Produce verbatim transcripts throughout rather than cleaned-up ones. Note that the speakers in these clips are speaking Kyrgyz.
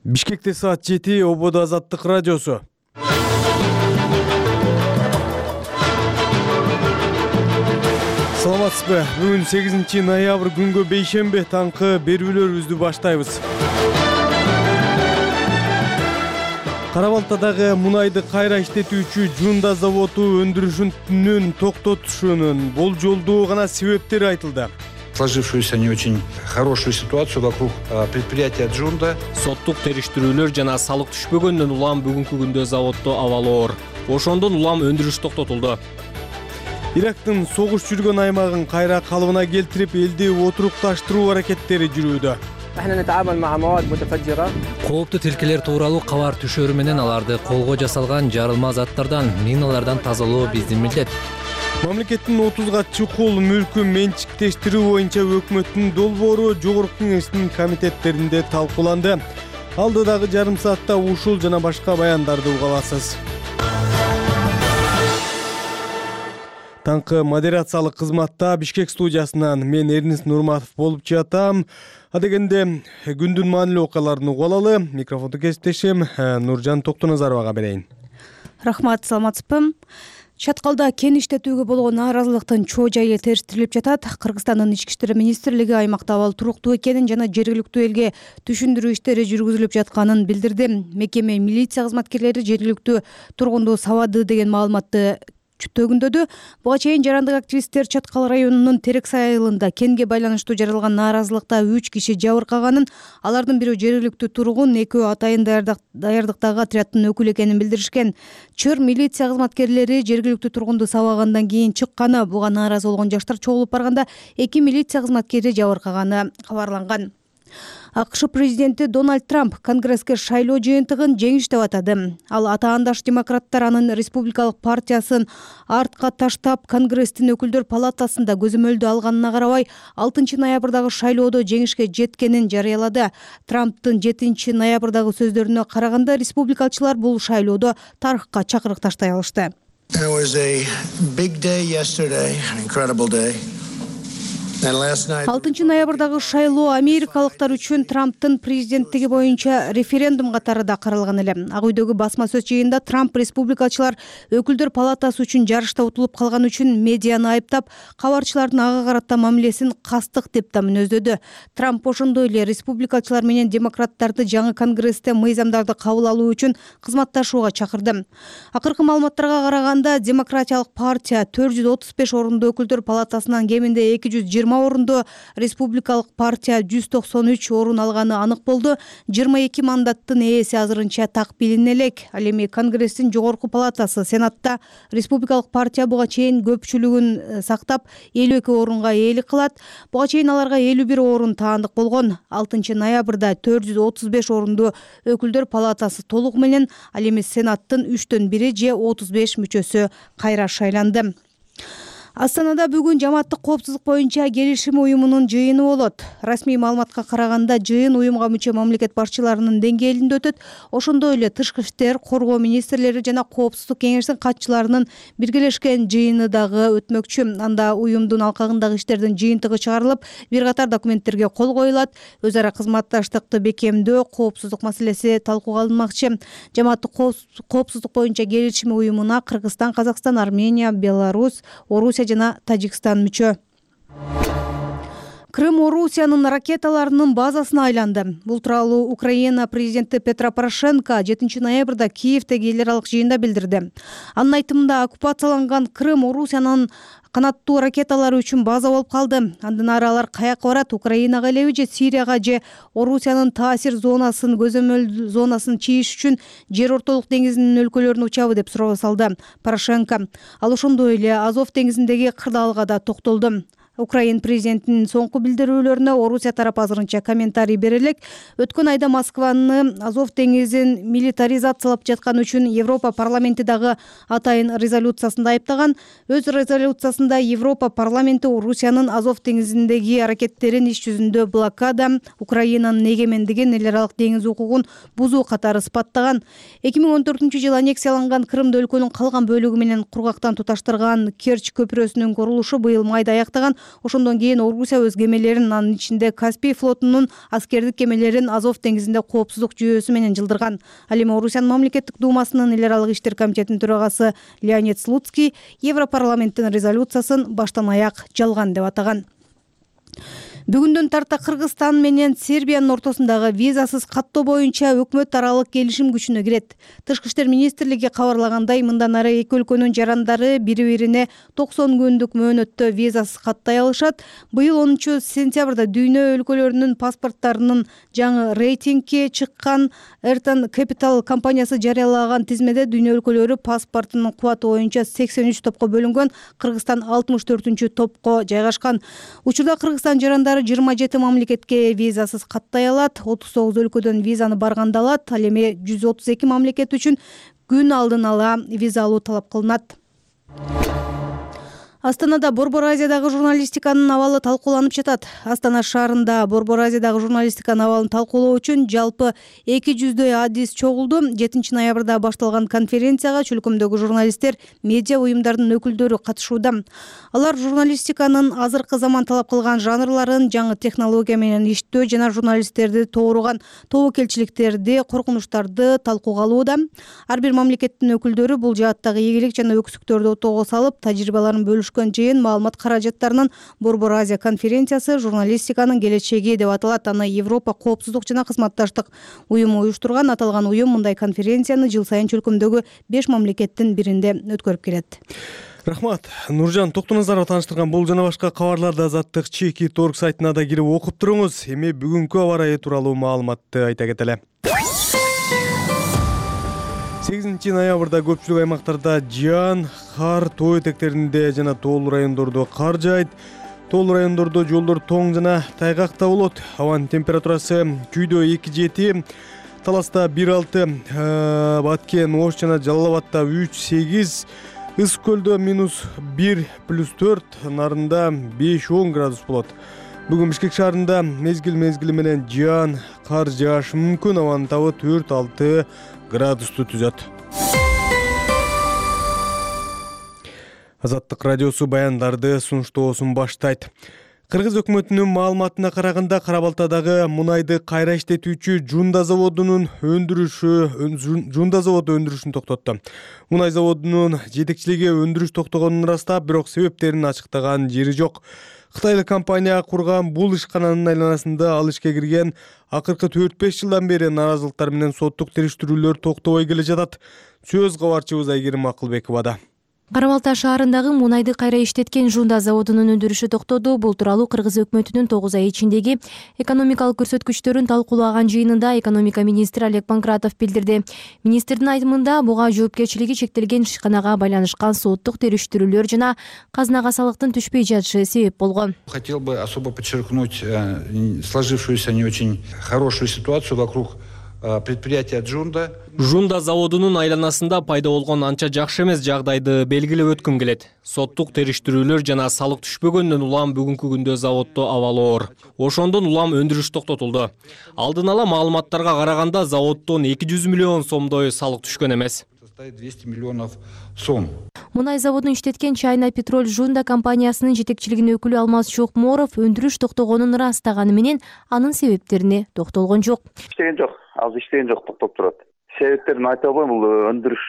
Бишкекте саат жети, Ободо Азаттык радиосу. Саламатсызбы? Бүгүн сегизинчи ноябрь күнгө бейшемби таңкы берүүлөрүбүздү баштайбыз. Кара Балтадагы мунайды кайра иштетүүчү Жунда заводу өндүрүшүнүн токтотушунун болжолдуу гана себептери айтылды. Сложившуюся не очень хорошую ситуацию вокруг предприятия Джунда. Соттук териштирүүлөр жана салык түшпөгөндөн улам бүгүнкү күндө заводдо абал оор. Ошондон улам өндүрүш токтотулду. Ирактын согуш жүргөн аймагын кайра калыбына келтирип, элди отурукташтыруу аракеттери жүрүүдө. Кооптуу тилкелер тууралуу кабар түшөрү менен аларды колго жасалган жарылма заттардан, миналардан тазалоо биздин милдет. Мамлекеттин отузга чукул мүлкүн менчиктештирүү боюнча өкмөттүн долбоору Жогорку Кеңештин комитеттеринде талкууланды. Алдыдагы жарым саатта ушул жана башка баяндарды уга аласыз. Таңкы модерациялык кызматта Бишкек студиясынан мен Эрнис Нурматов болуп жатам. Адегенде күндүн маанилүү окуяларын угуп алалы. Микрофонду кесиптешим Нуржан Токтоназаровага берейин. Рахмат, саламатсызбы? Чаткалда кен иштетүүгө болгон нааразылыктын чоо жайы териштирилип жатат. Кыргызстандын ички иштер министрлиги аймакта абал туруктуу экенин жана жергиликтүү элге түшүндүрүү иштери жүргүзүлүп жатканын билдирди. Мекеме милиция кызматкерлери жергиликтүү тургунду сабады деген маалыматты төгүндөдү. Буга чейин жарандык активисттер Чаткал районунун Терексай айылында кенге байланыштуу жаралган нааразылыкта үч киши жабыркаганын, алардын бирөө жергиликтүү тургун, экөө атайын даярдыктагы отряддын өкүлү экенин билдиришкен. Чыр милиция кызматкерлери жергиликтүү тургунду сабагандан кийин чыкканы, буга нааразы болгон жаштар чогулуп барганда эки милиция кызматкери жабыркаганы кабарланган. АКШ президенти Дональд Трамп Конгресске шайлоо жыйынтыгын жеңиш деп атады. Ал атаандаш демократтар анын республикалык партиясын артка таштап, Конгресстин өкүлдөр палатасында көзөмөлдү алганына карабай, алтынчы ноябрдагы шайлоодо жеңишке жеткенин жарыялады. Трамптын жетинчи ноябрдагы сөздөрүнө караганда, республикалчылар бул шайлоодо тарыхка чакырык таштай алышты. алтынчы ноябрдагы шайлоо америкалыктар үчүн Трамптын президенттиги боюнча референдум катары да каралган эле. Ак үйдөгү басма сөз жыйында Трамп республикачылар өкүлдөр палатасы үчүн жарышта утулуп калган үчүн медианы айыптап, кабарчылардын ага карата мамилесин кастык деп да мүнөздөдү. Трамп ошондой эле республикачылар менен демократтарды жаңы Конгрессте мыйзамдарды кабыл алуу үчүн кызматташууга чакырды. Акыркы маалыматтарга караганда, демократиялык партия төрт жүз отуз беш орундуу өкүлдөр палатасынан кеминде эки жүз жыйырма орунду, республикалык партия жүз токсон үч орун алганы анык болду. жыйырма эки мандаттын ээси азырынча так билине элек. Ал эми Конгресстин жогорку палатасы Сенатта республикалык партия буга чейин көпчүлүгүн сактап элүү эки орунга ээлик кылат. Буга чейин аларга элүү бир орун таандык болгон. алтынчы ноябрда төрт жүз отуз беш орунду өкүлдөр палатасы толугу менен, ал эми Сенаттын үчтөн бири же отуз беш мүчөсү кайра шайланды. Астанада бүгүн жамааттык коопсуздук боюнча келишим уюмунун жыйыны болот. Расмий маалыматка караганда, жыйын уюмга мүчө мамлекет башчыларынын деңгээлинде өтөт. Ошондой эле тышкы иштер, коргоо министрлери жана коопсуздук кеңешинин катчыларынын биргелешкен жыйыны дагы өтмөкчү. Анда уюмдун алкагындагы иштердин жыйынтыгы чыгарылып, бир катар документтерге кол коюлат. Өз ара кызматташтыкты бекемдөө, коопсуздук маселеси талкууга алынмакчы. Жамааттык коопсуздук боюнча келишим уюмуна Кыргызстан, Казакстан, Армения, Беларусь, Орусия жана Тажикстан мүчө. Крым Орусиянын ракеталарынын базасына айланды. Бул тууралуу Украина президенти Петро Порошенко жетинчи ноябрда Киевдеги эл аралык жыйында билдирди. Анын айтымында, оккупацияланган Крым Орусиянын канаттуу ракеталары үчүн база болуп калды. Андан ары алар каяка барат? Украинага элеби же Сирияга же Орусиянын таасир зонасын, көзөмөл зонасын чийиш үчүн жер ортолук деңизинин өлкөлөрүнө учабы деп суроо салды Порошенко. Ал ошондой эле Азов деңизиндеги кырдаалга да токтолду. Украин президентинин соңку билдирүүлөрүнө Орусия тарапы азырынча комментарий бере элек. Өткөн айда Москваны Азов деңизин милитаризациялап жаткан үчүн Европа парламенти дагы атайын резолюциясында айыптаган. Өз резолюциясында Европа парламенти Орусиянын Азов деңизиндеги аракеттерин иш жүзүндө блокада, Украинанын эгемендигин, эл аралык деңиз укугун бузуу катары сыпаттаган. эки миң он төртүнчү жылы аннексияланган Крымды өлкөнүн калган бөлүгү менен кургактан туташтырган Керчь көпүрөсүнүн курулушу быйыл майда аяктаган. Ошондон кийин Орусия өз кемелерин, анын ичинде Каспий флотунун аскердик кемелерин Азов деңизинде коопсуздук жүйөсү менен жылдырган. Ал эми Орусиянын мамлекеттик думасынын эл аралык иштер комитетинин төрагасы Леонид Слуцкий Европарламенттин резолюциясын баштан аяк жалган деп атаган. Бүгүндөн тарта Кыргызстан менен Сербиянын ортосундагы визасыз каттоо боюнча өкмөт аралык келишим күчүнө кирет. Тышкы иштер министрлиги кабарлагандай, мындан ары эки өлкөнүн жарандары бири-бирине токсон күндүк мөөнөттө визасыз каттай алышат. Быйыл онунчу сентябрда дүйнө өлкөлөрүнүн паспорттарынын жаңы рейтингге чыккан Эртан Capital компаниясы жарыялаган тизмеде дүйнө өлкөлөрү паспортунун кубаты боюнча сексен үч топко бөлүнгөн. Кыргызстан алтымыш төртүнчү топко жайгашкан. Учурда Кыргызстан жарандары жыйырма жети мамлекетке визасыз каттай алат, отуз тогуз өлкөдөн визаны барганда алат. Ал эми жүз отуз эки мамлекет үчүн күн алдын ала виза алуу талап кылынат. Астанада Борбор Азиядагы журналистиканын абалы талкууланып жатат. Астана шаарында Борбор Азиядагы журналистиканын абалын талкуулоо үчүн жалпы эки жүздөй адис чогулду. жетинчи ноябрда башталган конференцияга чөлкөмдөгү журналисттер, медиа уюмдардын өкүлдөрү катышууда. Алар журналистиканын азыркы заман талап кылган жанрларын, жаңы технология менен иштөө жана журналисттерди тооруган тобокелчиликтерди, коркунучтарды талкууга алууда. Ар бир мамлекеттин өкүлдөрү бул жааттагы ийгилик жана өксүктөрдү отоого салып, тажрыйбаларын бөлүшкөн. Жыйын маалымат каражаттарынын Борбор Азия конференциясы журналистиканын келечеги деп аталат. Аны Европа коопсуздук жана кызматташтык уюму уюштурган. Аталган уюм мындай конференцияны жыл сайын чөлкөмдөгү беш мамлекеттин биринде өткөрүп келет. Рахмат. Нуржан Токтоназарова тааныштырган бул жана башка кабарларды Азаттык чеки торг сайтына да кирип окуп туруңуз. Эми бүгүнкү аба ырайы тууралуу маалыматты айта кетели. сегизинчи ноябрда көпчүлүк аймактарда жаан, кар, тоо этектеринде жана тоолуу райондордо кар жаайт. Тоолуу райондордо жолдор тоң жана тайгакта болот. Абанын температурасы күйдө эки жети, Таласта бир алты, Баткен, Ош жана Жалал абадда үч сегиз, Ысык көлдө минус бир плюс төрт, Нарында беш он градус болот. Бүгүн Бишкек шаарында мезгил мезгили менен жаан, кар жаашы мүмкүн. Абанын табы төрт алты градусту түзөт. Азаттык радиосу баяндарды сунуштоосун баштайт. Кыргыз өкмөтүнүн маалыматына караганда, Кара-Балтадагы мунайды кайра иштетүүчү Жунда заводунун өндүрүшү Жунда заводу өндүрүшүн токтотту. Мунай заводунун жетекчилиги өндүрүш токтогонун ырастап, бирок себептерин ачыктаган жери жок. Кытайлык компания курган бул ишкананын айланасында ал ишке кирген акыркы төрт беш жылдан бери нааразылыктар менен соттук териштирүүлөр токтобой келе жатат. Сөз кабарчыбыз Айгерим Акылбековада. Кара-Балта шаарындагы мунайды кайра иштеткен Жунда заводунун өндүрүшү токтоду. Бул тууралуу Кыргыз өкмөтүнүн тогуз ай ичиндеги экономикалык көрсөткүчтөрүн талкуулаган жыйынында экономика министри Олег Панкратов билдирди. Министрдин айтымында, буга жоопкерчилиги чектелген ишканага байланышкан соттук териштирүүлөр жана казынага салыктын түшпөй жатышы себеп болгон. Хотел бы особо подчеркнуть сложившуюся не очень хорошую ситуацию вокруг предприятия Джунда. Жунда заводунун айланасында пайда болгон анча жакшы эмес жагдайды белгилеп өткүм келет. Соттук териштирүүлөр жана салык түшпөгөндөн улам бүгүнкү күндө заводдо абал оор. Ошондон улам өндүрүш токтотулду. Алдын ала маалыматтарга караганда, заводдон эки жүз миллион сомдой салык түшкөн эмес. двести миллионов сом. Мунай заводун иштеткен Чайна Петроль Жунда компаниясынын жетекчилигинин өкүлү Алмаз Чокморов өндүрүш токтогонун ырастаганы менен анын себептерине токтолгон жок. Иштеген жок, азыр иштеген жок, токтоп турат. Себептерин айта албайм, бул өндүрүш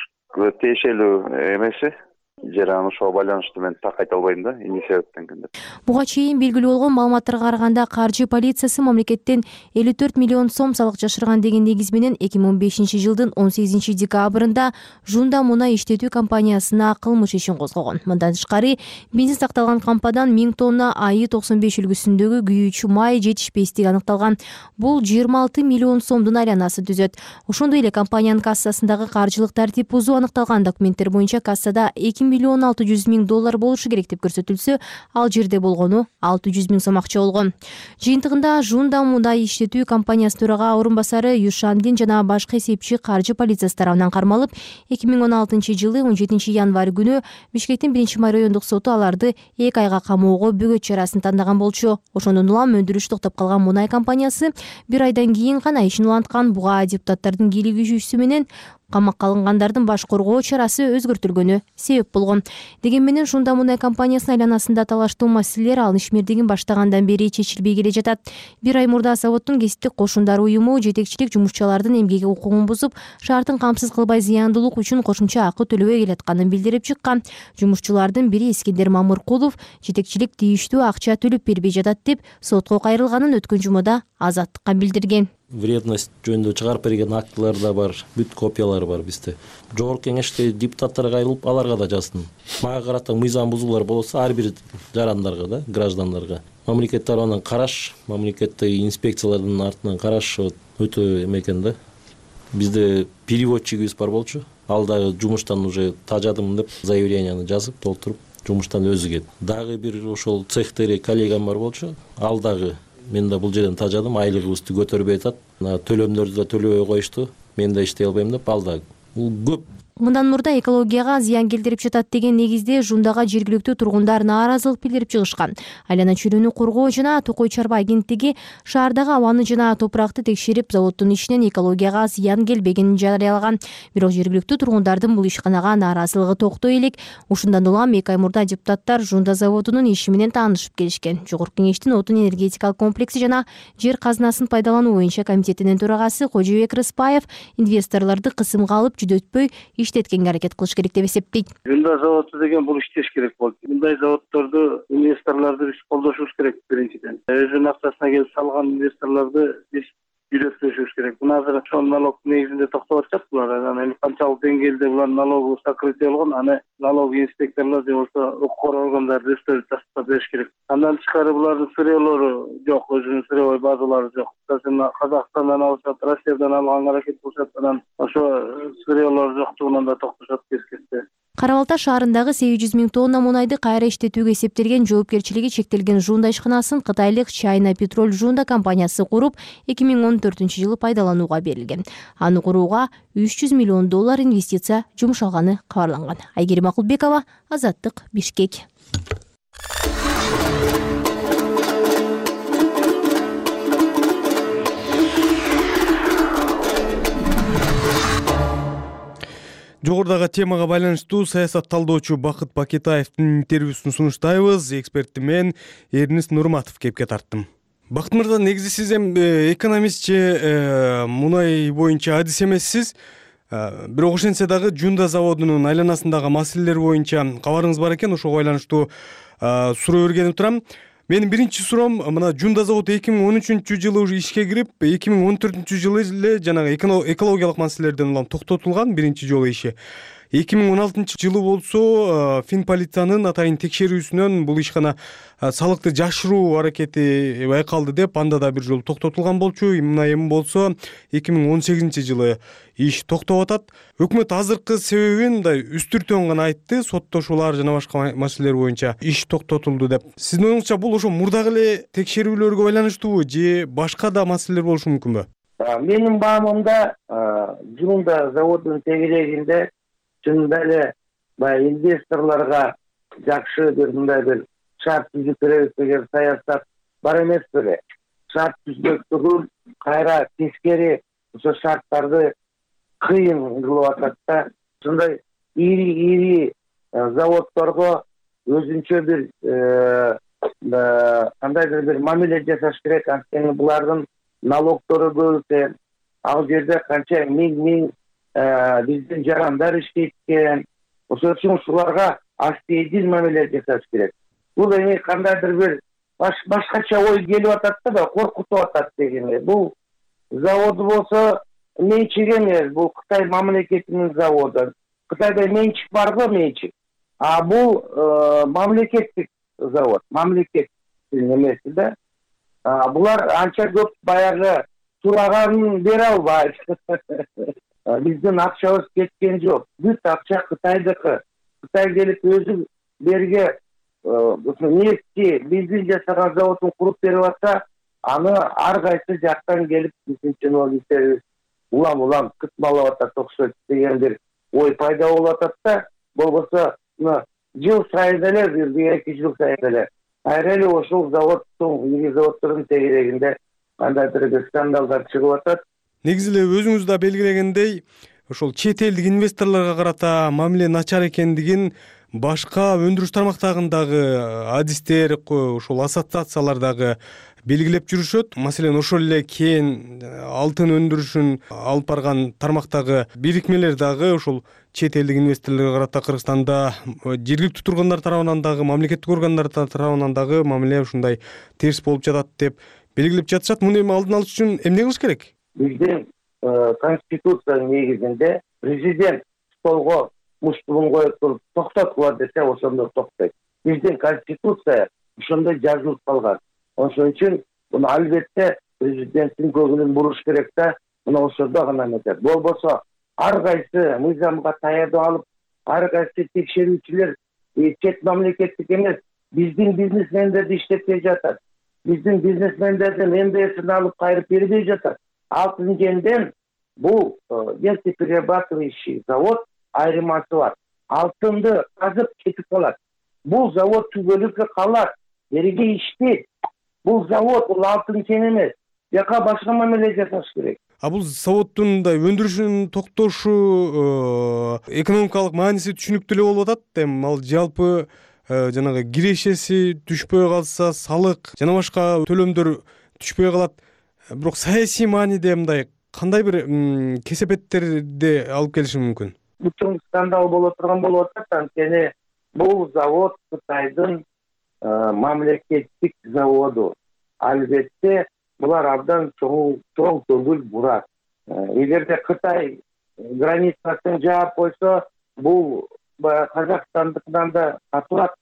тиешелүү эмеси. Жана ошого байланыштуу мен так айта албайм да, эмне себептен деп. Буга чейин белгилүү болгон маалыматтарга караганда, каржы полициясы мамлекеттен элүү төрт миллион сом салык жашырган деген негиз менен эки миң он бешинчи жылдын он сегизинчи декабрында Жунда мунай иштетүү компаниясына кылмыш ишин козгогон. Мындан тышкары, бензин сакталган кампадан миң тонна АИ токсон беш үлгүсүндөгү күйүүчү май жетишпестиги аныкталган. Бул жыйырма алты миллион сомдун айланасын түзөт. Ошондой эле компаниянын кассасындагы каржылык тартип бузуу аныкталган. Документтер боюнча кассада эки миллион алты жүз миң доллар болушу керек деп көрсөтүлсө, ал жерде болгону алты жүз миң сом акча болгон. Жыйынтыгында Жунда мундай иштетүү компаниясы төрага орун басары Юшандин жана башка эсепчи каржы полициясы тарабынан кармалып, эки миң он алтынчы жылы он жетинчи январь күнү Бишкектин биринчи май райондук соту аларды эки айга камоого бөгөт чарасын тандаган болчу. Ошондон улам өндүрүш токтоп калган мунай компаниясы бир айдан кийин гана ишин уланткан. Буга депутаттардын кийлигишүүсү менен камакка алынгандардын баш коргоо чарасы өзгөртүлгөнү себеп болгон. Деген менен Жунда мунай компаниясынын айланасында талаштуу маселелер ал ишмердигин баштагандан бери чечилбей келе жатат. Бир ай мурда заводдун кесиптик кошундар уюму жетекчилик жумушчулардын эмгеги укугун бузуп, шартын камсыз кылбай зыяндуулук үчүн кошумча акы төлөбөй келатканын билдирип чыккан. Жумушчулардын бири Искендер Мамыркулов жетекчилик тийиштүү акча төлөп бербей жатат деп сотко кайрылганын өткөн жумада Азаттыкка билдирген. Вредность жөнүндө чыгарып берген актылар да бар, бүт копиялары бар бизде. Жогорку кеңеште депутаттарга кайрылып, аларга да жаздым. Мага карата мыйзам бузуулар болсо ар бир жарандарга да, граждандарга. Мамлекет тарабынан караш, мамлекеттеги инспекциялардын артынан караш өтө эме экен да. Бизде переводчигибиз бар болчу. Ал дагы жумуштан уже тажадым деп заявленияны жазып, толтуруп, жумуштан өзү кетти. Дагы бир ошол цехтери коллегам бар болчу. Ал дагы мен да бул жерден тажадым, айлыгыбызды көтөрбөй атат. Төлөмдөрдү да төлөбөй коюшту. Мен да иштей албайм деп, ал да бул көп. Мындан мурда экологияга зыян келтирип жатат деген негизде Жундага жергиликтүү тургундар нааразылык билдирип чыгышкан. Айлана чөйрөнү коргоо жана Токой чарба агенттиги шаардагы абаны жана топуракты текшерип, заводдун ишинен экологияга зыян келбегенин жарыялаган. Бирок жергиликтүү тургундардын бул ишканага нааразылыгы токтой элек. Ушундан улам эки ай мурда депутаттар Жунда заводунун иши менен таанышып келишкен. Жогорку кеңештин отун энергетикалык комплекси жана жер казынасын пайдалануу боюнча комитетинин төрагасы Кожобек Рыспаев инвесторлорду кысымга алып жүдө өтпөй иштеткенге аракет кылыш керек деп эсептейт. Жунда заводу деген бул иштеш керек болду. Мындай заводдорду, инвесторлорду биз колдошубуз керек биринчиден. Өзүнүн акчасына келип салган инвесторлорду биз үйрөтпөшүбүз керек. Мына азыр ошол налог негизинде токтоп атышат булар. Анан канчалык деңгээлде булар налогу сокрытие болгон, аны налог инспекторлор же болбосо укук органдары өздөрү тастап бериш керек. Андан тышкары булардын сырьелору жок, өзүнүн сырьевой базалары жок. Казакстандан алышат, Россиядан алганга аракет кылышат, анан ошо сырьелор жоктугунан да токтошот кескенде. Кара Балта шаарындагы сегиз жүз миң тонна мунайды кайра иштетүүгө эсептелген жоопкерчилиги чектелген Жунда ишканасын кытайлык China Petrol Жунда компаниясы куруп, эки миң он төртүнчү жылы пайдаланууга берилген. Аны курууга үч жүз миллион доллар инвестиция жумшалганы кабарланган. Айгерим Акылбекова, Азаттык, Бишкек. Жогорудагы темага байланыштуу саясат талдоочу Бакыт Бакетаевдин интервьюсун сунуштайбыз. Эксперти мен Эрнис Нурматов кепке тарттым. Бакыт мырза, негизи сиз эми экономистчи, мунай боюнча адис эмессиз. Бирок ошентсе дагы Жунда заводунун айланасындагы маселелер боюнча кабарыңыз бар экен. Ошого байланыштуу суроо бергенип турам. Менин биринчи суроом, мына Жунда заводу эки миң он үчүнчү жылы уже ишке кирип, эки миң он төртүнчү жылы эле жанагы экологиялык маселелерден улам токтотулган биринчи жолу иши. эки миң он алтынчы жылы болсо Финполициянын атайын текшерүүсүнөн бул ишкана салыкты жашыруу аракети байкалды деп, анда да бир жолу токтотулган болчу. Мына эми болсо эки миң он сегизинчи жылы иш токтоп атат. Өкмөт азыркы себебин мындай үстүртөн гана айтты, соттошуулар жана башка маселелер боюнча иш токтотулду деп. Сиздин оюңузча бул ошо мурдагы эле текшерүүлөргө байланыштуубу же башка да маселелер болушу мүмкүнбү? Менин баамымда Жунда заводунун тегерегинде чынында эле баягы инвесторлорго жакшы бир мындай бир шарт түзүп беребиз деген саясат бар эмес беле. Шарт түзмөк түгүл, кайра тескери ошо шарттарды кыйын кылып атат да. Ушундай ири ири заводдорго өзүнчө бир кандайдыр бир мамиле жасаш керек. Анткени булардын налогдору көп экен. Ал жерде канча миң-миң биздин жарандар иштейт экен. Ошол үчүн ушуларга астейдин мамиле жасаш керек. Бул эми кандайдыр бир башкача ой келип атат да, коркутуп атат дегенде. Бул заводу болсо менчик эмес, бул Кытай мамлекетинин заводу. Кытайда менчик барбы, менчик. А бул мамлекеттик завод, мамлекеттин эмеси да. Булар анча көп баягы сураганын бере албайт. Биздин акчабыз кеткен жок. Бүт акча Кытайдыкы. Кытай келип өзү берге нефти, бензин жасаган заводун куруп берип атса, аны ар кайсы жактан келип биздин чиновниктерибиз улам-улам кытмалап атат окшойт деген бир ой пайда болуп атат да. Болбосо жыл сайын эле, бир эки жыл сайын эле кайра эле ошол заводдун, ири заводдордун тегерегинде кандайдыр бир скандалдар чыгып атат. Негизи эле өзүңүз да белгилегендей, ошол чет элдик инвесторлорго карата мамиле начар экендигин башка өндүрүш тармактарындагы адистер, ошол ассоциациялар дагы белгилеп жүрүшөт. Маселен, ошол эле кен, алтын өндүрүшүн алып барган тармактагы бирикмелер дагы ошол чет элдик инвесторлорго карата Кыргызстанда жергиликтүү тургундар тарабынан дагы, мамлекеттик органдар тарабынан дагы мамиле ушундай терс болуп жатат деп белгилеп жатышат. Муну эми алдын алыш үчүн эмне кылыш керек? Биздин конституциянын негизинде президент столго муштугун коюп туруп токтоткула десе, ошондо токтойт. Биздин конституция ошондо жазылып калган. Ошон үчүн муну албетте президенттин көңүлүн буруш керек да, мына ошондо гана эметет. Болбосо ар кайсы мыйзамга таянып алып, ар кайсы текшерүүчүлөр чет мамлекеттик эмес, биздин бизнесмендерди иштетпей жатат. Биздин бизнесмендердин эм дэ эсин алып кайрып бербей жатат. Алтын кенден бул нефтеперерабатывающий завод айырмасы бар. Алтынды казып кетип калат. Бул завод түбөлүккө калат. Бериге иштейт. Бул завод, бул алтын кен эмес. Жака башка мамиле жасаш керек. А бул заводдун мындай өндүрүшүн токтошу экономикалык мааниси түшүнүктүү эле болуп атат. Эми ал жалпы жанагы кирешеси түшпөй калса, салык жана башка төлөмдөр түшпөй калат. Бирок саясий мааниде мындай кандай бир кесепеттерди алып келиши мүмкүн? Бүтүн скандал боло турган болуп атат, анткени бул завод Кытайдын мамлекеттик заводу. Албетте булар абдан чоң чоң көңүл бурат. Эгерде Кытай границасын жаап койсо, бул Казакстандыкынан да катуураак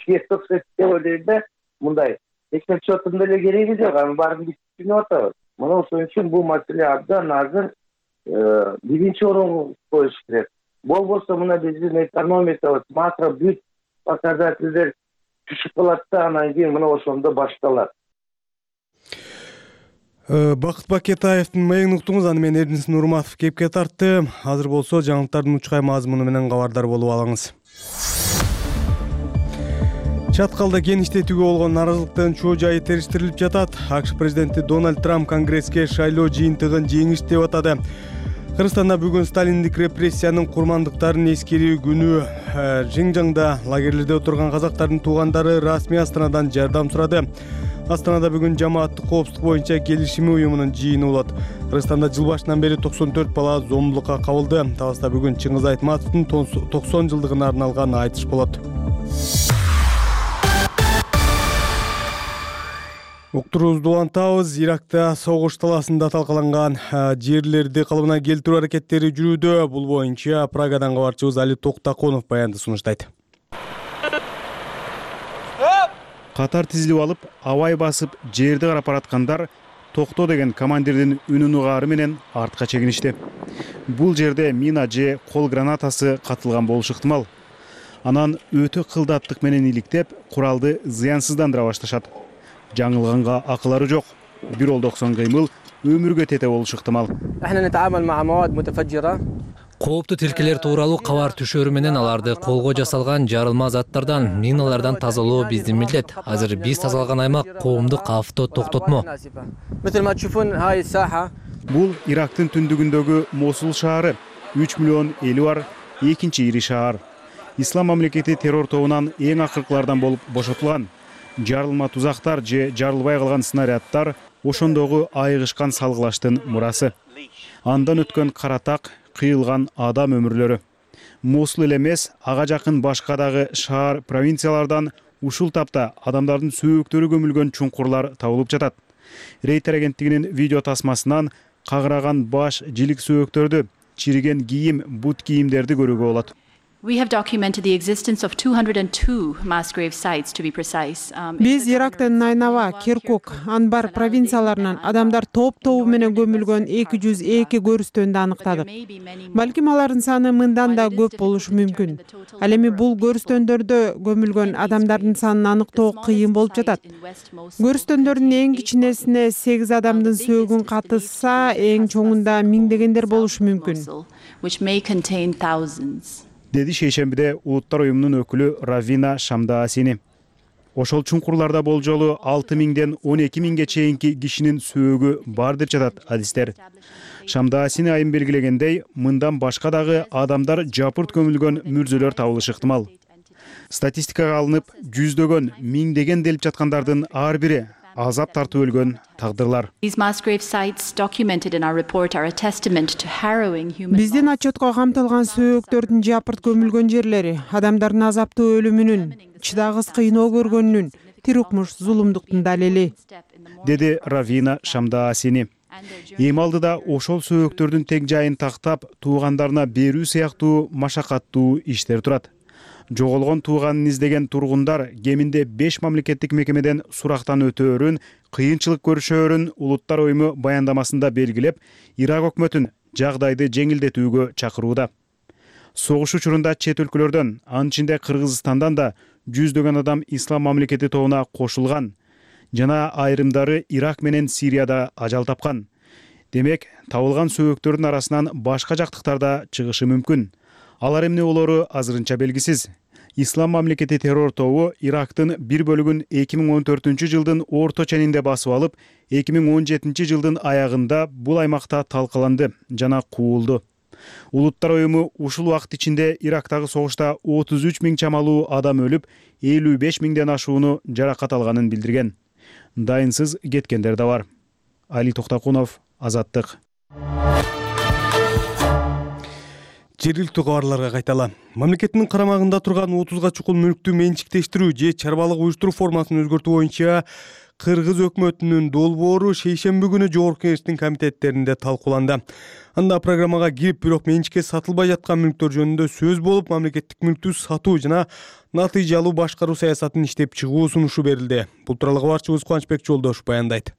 кетип окшойт деп ойлойм да. Мындай эсеп счетун деле кереги жок, анын баарын биз түшүнүп атабыз. Мына ошон үчүн бул маселе абдан азыр биринчи орунга коюш керек. Болбосо мына биздин экономикабыз макро бүт показательдер түшүп калат да, анан кийин мына ошондо башталат. Бакыт Бакетаевдин маегин уктуңуз, аны мен Эрдинис Нурматов кепке тартты. Азыр болсо жаңылыктардын учкай мазмуну менен кабардар болуп алыңыз. Чаткалда кен иштетүүгө болгон нааразылыктын чоо жайы териштирилип жатат. АКШ президенти Дональд Трамп Конгресске шайлоо жыйынтыгын жеңиш деп атады. Кыргызстанда бүгүн сталиндик репрессиянын курмандыктарын эскерүү күнү. Жиңжаңда лагерлерде отурган казактардын туугандары расмий Астанадан жардам сурады. Астанада бүгүн жамааттык коопсуздук боюнча келишими уюмунун жыйыны болот. Кыргызстанда жыл башынан бери токсон төрт бала зомбулукка кабылды. Таласта бүгүн Чыңгыз Айтматовдун токсон жылдыгына арналган айтыш болот. Уктуруубузду улантабыз. Иракта согуш талаасында талкаланган жерлерди калыбына келтирүү аракеттери жүрүүдө. Бул боюнча Прагадан кабарчыбыз Али Токтаконов баянды сунуштайт. Катар тизилип алып, абай басып, жерди карап бараткандар токто деген командирдин үнүн угаары менен артка чегиништи. Бул жерде мина же кол гранатасы катылган болушу ыктымал. Анан өтө кылдаттык менен иликтеп, куралды зыянсыздандыра башташат. Жаңылганга акылары жок. Бир олдоксон кыймыл өмүргө тете болушу ыктымал. Кооптуу тилкелер тууралуу кабар түшөрү менен аларды колго жасалган жарылма заттардан, миналардан тазалоо биздин милдет. Азыр биз тазалган аймак коомдук авто токтотмо. Бул Ирактын түндүгүндөгү Мосул шаары, үч миллион эли бар экинчи ири шаар. Ислам мамлекети террор тобунан эң акыркылардан болуп бошотулган. Жарылма тузактар же жарылбай калган снаряддар ошондогу айыгышкан салгылаштын мурасы. Андан өткөн каратак, кыйылган адам өмүрлөрү. Мосул эле эмес, ага жакын башка дагы шаар, провинциялардан ушул тапта адамдардын сөөктөрү көмүлгөн чуңкурлар табылып жатат. Рейтер агенттигинин видео тасмасынан кагыраган баш, жилик сөөктөрдү, чириген кийим, бут кийимдерди көрүүгө болот. We have documented the existence of two hundred two mass grave sites, to be precise. Биз Ирактын Найнава, Киркук, Анбар провинцияларынан адамдар топ-тобу менен көмүлгөн эки жүз эки көрүстөндү аныктадык. Балким алардын саны мындан да көп болушу мүмкүн. Ал эми бул көрүстөндөрдө көмүлгөн адамдардын санын аныктоо кыйын болуп жатат. Көрүстөндөрдүн эң кичинесине сегиз адамдын сөөгүн катышса, эң чоңунда миңдегендер болушу мүмкүн. Which may contain thousands. Деди шейшембиде Улуттар уюмунун өкүлү Равина Шамдаасини. Ошол чуңкурларда болжолу алты миңден он эки миңге чейинки кишинин сөөгү бар деп жатат адистер. Шамдаасини айым белгилегендей, мындан башка дагы адамдар жапырт көмүлгөн мүрзөлөр табылышы ыктымал. Статистикага алынып, жүздөгөн, миңдеген делип жаткандардын ар бири азап тартып өлгөн тагдырлар. Биздин отчетко камтылган сөөктөрдүн жапырт көмүлгөн жерлери адамдардын азаптуу өлүмүнүн, чыдагыс кыйноо көргөнүнүн, тирукмуш зулумдуктун далили, деди Равина Шамдаасини. Эми алдыда ошол сөөктөрдүн тең жайын тактап, туугандарына берүү сыяктуу машакаттуу иштер турат. Жоголгон тууганын издеген тургундар кеминде беш мамлекеттик мекемеден сурактан өтөөрүн, кыйынчылык көрүшөөрүн Улуттар уюму баяндамасында белгилеп, Ирак өкмөтүн жагдайды жеңилдетүүгө чакырууда. Согуш учурунда чет өлкөлөрдөн, анын ичинде Кыргызстандан да жүздөгөн адам Ислам мамлекети тобуна кошулган жана айрымдары Ирак менен Сирияда ажал тапкан. Демек, табылган сөөктөрдүн арасынан башка жактыктар да чыгышы мүмкүн. Алар эмне болору азырынча белгисиз. Ислам мамлекети террор тобу Ирактын бир бөлүгүн эки миң он төртүнчү жылдын орто ченинде басып алып, эки миң он жетинчи жылдын аягында бул аймакта талкаланды жана куулду. Улуттар уюму ушул убакыт ичинде Ирактагы согушта отуз үч миң чамалуу адам өлүп, элүү беш миңден ашууну жаракат алганын билдирген. Дайынсыз кеткендер да бар. Али Токтокунов, Азаттык. Жергиликтүү кабарларга кайталы. Мамлекеттин карамагында турган отузга чукул мүлктү менчиктештирүү же чарбалык уюштуруу формасын өзгөртүү боюнча Кыргыз өкмөтүнүн долбоору шейшемби күнү Жогорку Кеңештин комитеттеринде талкууланды. Анда программага кирип, бирок менчикке сатылбай жаткан мүлктөр жөнүндө сөз болуп, мамлекеттик мүлктү сатуу жана натыйжалуу башкаруу саясатын иштеп чыгуу сунушу берилди. Бул тууралуу кабарчыбыз Кубанычбек Жолдошов баяндайт.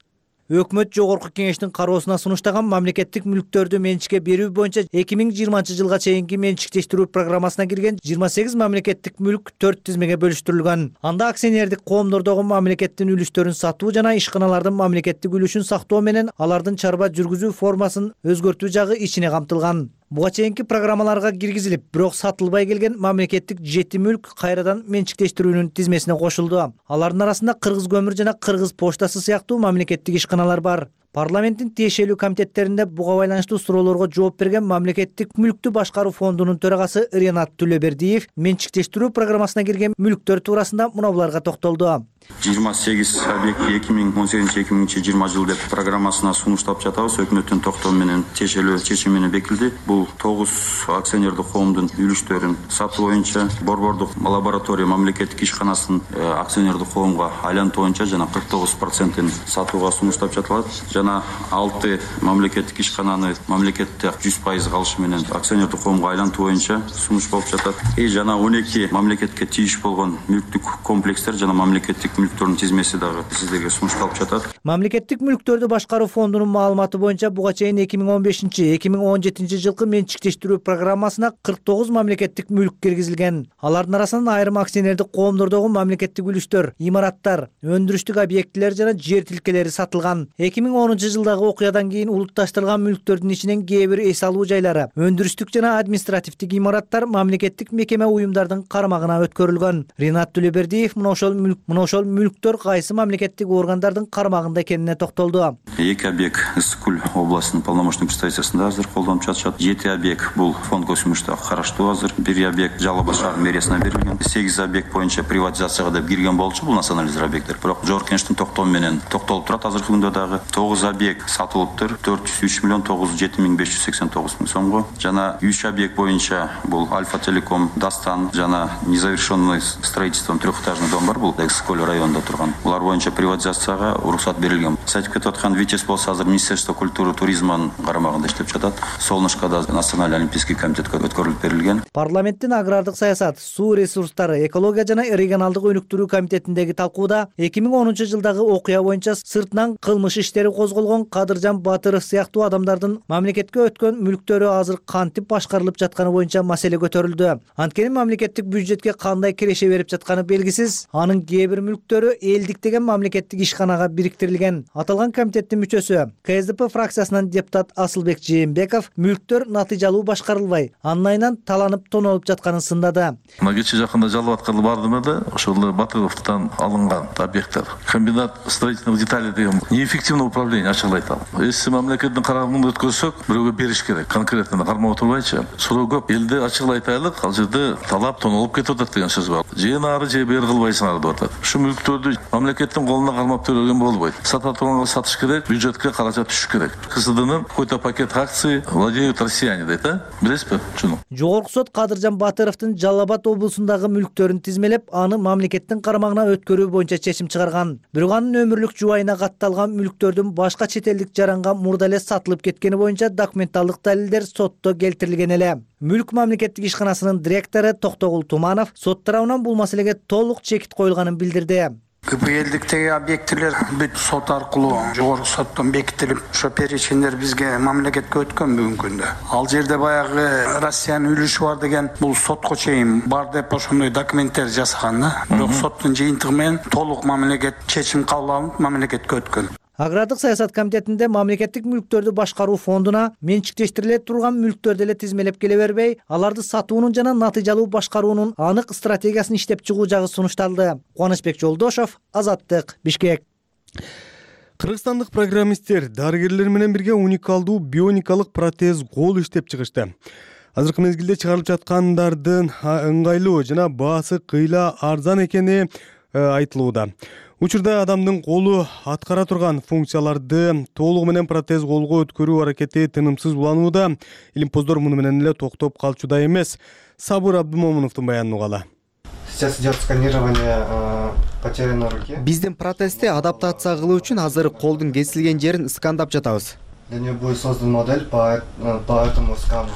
Өкмөт Жогорку Кеңештин кароосуна сунуштаган мамлекеттик мүлктөрдү менчикке берүү боюнча эки миң жыйырманчы жылга чейинки менчиктештирүү программасына кирген жыйырма сегиз мамлекеттик мүлк төрт тизмеге бөлүштүрүлгөн. Анда акционердик коомдордогу мамлекеттин үлүстөрүн сатуу жана ишканалардын мамлекеттик үлүшүн сактоо менен алардын чарба жүргүзүү формасын өзгөртүү жагы ичине камтылган. Буга чейинки программаларга киргизилип, бирок сатылбай келген мамлекеттик жети мүлк кайрадан менчиктештирүүнүн тизмесине кошулду. Алардын арасында Кыргыз көмүр жана Кыргыз почтасы сыяктуу мамлекеттик ишканалар бар. Парламенттин тиешелүү комитеттеринде буга байланыштуу суроолорго жооп берген мамлекеттик мүлктү башкаруу фондунун төрагасы Ринат Түлөбердиев менчиктештирүү программасына кирген мүлктөр туурасында мына буларга токтолду. жыйырма сегиз объект эки миң он сегизинчи эки миң жыйырма жыл деп программасына сунуштап жатабыз. Өкмөттүн токтому менен тиешелүү чечими менен бекилди. Бул тогуз акционердик коомдун үлүштөрүн сатуу боюнча Борбордук лаборатория мамлекеттик ишканасынын акционердик коомго айлантуу боюнча жана кырк тогуз процентин сатууга сунуштап жатылат. Жана алты мамлекеттик ишкананы мамлекетте жүз пайыз калышы менен акционердик коомго айлантуу боюнча сунуш болуп жатат. И жана он эки мамлекетке тийиш болгон мүлктүк комплекстер жана мамлекеттик мүлктөрдүн тизмеси дагы сиздерге сунушталып жатат. Мамлекеттик мүлктөрдү башкаруу фондунун маалыматы боюнча буга чейин эки миң он бешинчи эки миң он жетинчи жылкы менчиктештирүү программасына кырк тогуз мамлекеттик мүлк киргизилген. Алардын арасынан айрым акционердик коомдордогу мамлекеттик үлүштөр, имараттар, өндүрүштүк объектилер жана жер тилкелери сатылган. эки миң онунчу жылдагы окуядан кийин улутташтырылган мүлктөрдүн ичинен кээ бир эс алуу жайлары, өндүрүштүк жана административдик имараттар мамлекеттик мекеме уюмдардын карамагына өткөрүлгөн. Ринат Түлөбердиев мына ошол мүлк мына ошол мүлктөр кайсы мамлекеттик органдардын карамагында экенине токтолду. Эки объект Ысык-Көл областынын полномочный представительствосунда азыр колдонуп жатышат. жети объект бул фонд көсүмүштө караштуу азыр. Бир объект Жалал Абад шаар мэриясына берилген. сегиз объект боюнча приватизацияга деп кирген болчу бул национализация объекттер. Бирок Жогорку Кеңештин токтому менен токтолуп турат азыркы күндө дагы. тогуз объект сатылыптыр. төрт жүз үч миллион тогуз жүз жети миң беш жүз сексен тогуз миң сомго. Жана үч объект боюнча бул Альфа Телеком, Дастан жана незавершенный строительством трехэтажный дом бар бул Ысык-Көл районунда турган. Булар боюнча приватизацияга уруксат берилген. Сайтып кетип аткан Витес болсо азыр Министерство культуры туризмдин карамагында иштеп жатат. Солнышкада Национальный олимпийский комитетке өткөрүлүп берилген. Парламенттин агрардык саясат, суу ресурстары, экология жана регионалдык өнүктүрүү комитетиндеги талкууда эки миң онунчу жылдагы окуя боюнча сыртынан кылмыш иштери козголгон Кадыржан Батыров сыяктуу адамдардын мамлекетке өткөн мүлктөрү азыр кантип башкарылып жатканы боюнча маселе көтөрүлдү. Анткени мамлекеттик бюджетке кандай киреше берип жатканы белгисиз. Анын кээ бир мүлктөрү элдик деген мамлекеттик ишканага бириктирилген берилген. Аталган комитеттин мүчөсү ка эс дэ пэ фракциясынан депутат Асылбек Жээнбеков мүлктөр натыйжалуу башкарылбай, анын айынан таланып тонолуп жатканын сындады. Мына кечээ жакында жалып аткалы бардым эле, ошол Батыровдон алынган объекттер. Комбинат строительных деталей деген неэффективное управление ачык айтам. Эси мамлекеттин карамагында өткөрсөк, бирөөгө бериш керек. Конкретно кармап отурбайчы. Суроо көп. Элде ачык айтайлык, ал жерде талап тонолуп кетип атат деген сөз бар. Же нары же бери кылбайсыңар деп атат. Ушу мүлктөрдү мамлекеттин колуна кармап төрөгөн болбойт. Сата турганга сатыш керек, бюджетке каражат түшүш керек. ка эс дэнин какой-то пакет акций владеют россияне дейт, а? Билесизби? Чуну. Жогорку сот Кадыржан Батыровдун Жалал Абад облусундагы мүлктөрүн тизмелеп, аны мамлекеттин карамагына өткөрүү боюнча чечим чыгарган. Бирок анын өмүрлүк жубайына катталган мүлктөрдүн башка чет элдик жаранга мурда эле сатылып кеткени боюнча документалдык далилдер сотто келтирилген эле. Мүлк мамлекеттик ишканасынын директору Токтогул Туманов сот тарабынан бул маселеге толук чекит коюлганын билдирди. ка пэ элдиктеги объектилер бүт сот аркылуу жогорку соттон бекитилип, ошо перечиндер бизге мамлекетке өткөн бүгүнкү күндө. Ал жерде баягы Россиянын үлүшү бар деген бул сотко чейин бар деп ошондой документтер жасаган да. Бирок соттун жыйынтыгы менен толук мамлекет чечим кабыл алынып, мамлекетке өткөн. Агрардык саясат комитетинде мамлекеттик мүлктөрдү башкаруу фондуна менчиктештириле турган мүлктөрдү эле тизмелеп келе бербей, аларды сатуунун жана натыйжалуу башкаруунун анык стратегиясын иштеп чыгуу жагы сунушталды. Кубанычбек Жолдошов, Азаттык, Бишкек. Кыргызстандык программисттер дарыгерлер менен бирге уникалдуу бионикалык протез кол иштеп чыгышты. Азыркы мезгилде чыгарылып жаткандардын ыңгайлуу жана баасы кыйла арзан экени айтылууда. Учурда адамдын колу аткара турган функцияларды толугу менен протез колго өткөрүү аракети тынымсыз уланууда. Илимпоздор муну менен эле токтоп калчудай эмес. Сабыр Абдумомуновдун баянын угалы. Сейчас идет сканирование потерянной руки. Биздин протезди адаптация кылуу үчүн азыр колдун кесилген жерин скандап жатабыз. Для него будет создан модель по по этому скану.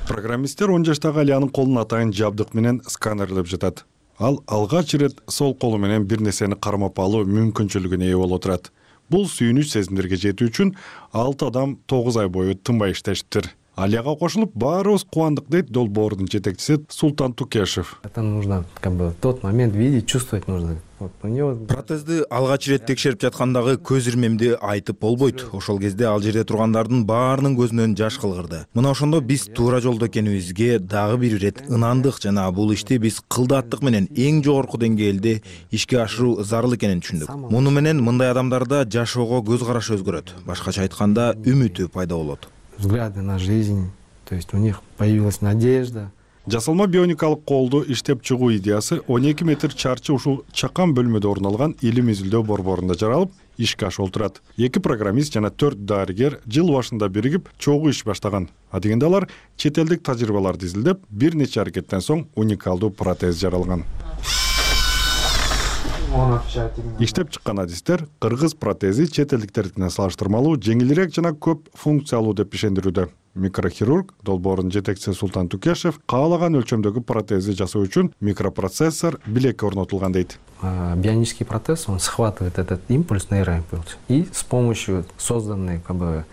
Программисттер он жаштагы Алиянын колун атайын жабдык менен сканерлеп жатат. Ал алгач ирет сол колу менен бир нерсени кармап алуу мүмкүнчүлүгүнө ээ болуп турат. Бул сүйүнүч сезимдерге жетүү үчүн алты адам тогуз ай бою тынбай иштештир. Алияга кошулуп баарыбыз кубандык дейт долбоордун жетекчиси Султан Тукешев. Это нужно как бы тот момент видеть, чувствовать нужно. Протезди алгач ирет текшерип жаткандагы көз ирмемди айтып болбойт. Ошол кезде ал жерде тургандардын баарынын көзүнөн жаш кылгырды. Мына ошондо биз туура жолдо экенибизге дагы бир ирет ынандык жана бул ишти биз кылдаттык менен эң жогорку деңгээлде ишке ашыруу зарыл экенин түшүндүк. Муну менен мындай адамдарда жашоого көз карашы өзгөрөт. Башкача айтканда үмүтү пайда болот. Взгляды на жизнь, то есть у них появилась надежда. Жасалма бионикалык колду иштеп чыгуу идеясы он эки метр чарчы ушул чакан бөлмөдө орун алган илим изилдөө борборунда жаралып, ишке ашып турат. Эки программист жана төрт дарыгер жыл башында биригип чогуу иш баштаган. А дегенде алар чет элдик тажрыйбаларды изилдеп, бир нече аракеттен соң уникалдуу протез жаралган. Иштеп чыккан адистер кыргыз протези чет элдиктердикине салыштырмалуу жеңилирээк жана көп функциялуу деп ишендирүүдө. Микрохирург долбоордун жетекчиси Султан Тукешев каалаган өлчөмдөгү протезди жасоо үчүн микропроцессор билекке орнотулган дейт. Бионический протез, он схватывает этот импульс, нейроимпульс, и с помощью созданной как бы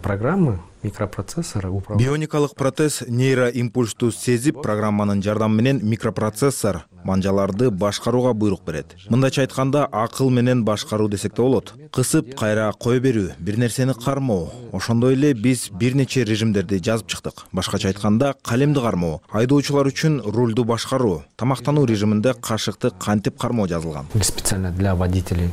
программы микропроцессора управляет. Бионикалык протез нейроимпульсту сезип, программанын жардамы менен микропроцессор манжаларды башкарууга буйрук берет. Мындайча айтканда, акыл менен башкаруу десек да болот. Кысып, кайра кое берүү, бир нерсени кармоо. Ошондой эле биз бир нече режимдерди жазып чыктык. Башкача айтканда, калемди кармоо, айдоочулар үчүн рулду башкаруу, тамактануу режиминде кашыкты кантип кармоо жазылган. Специально для водителей.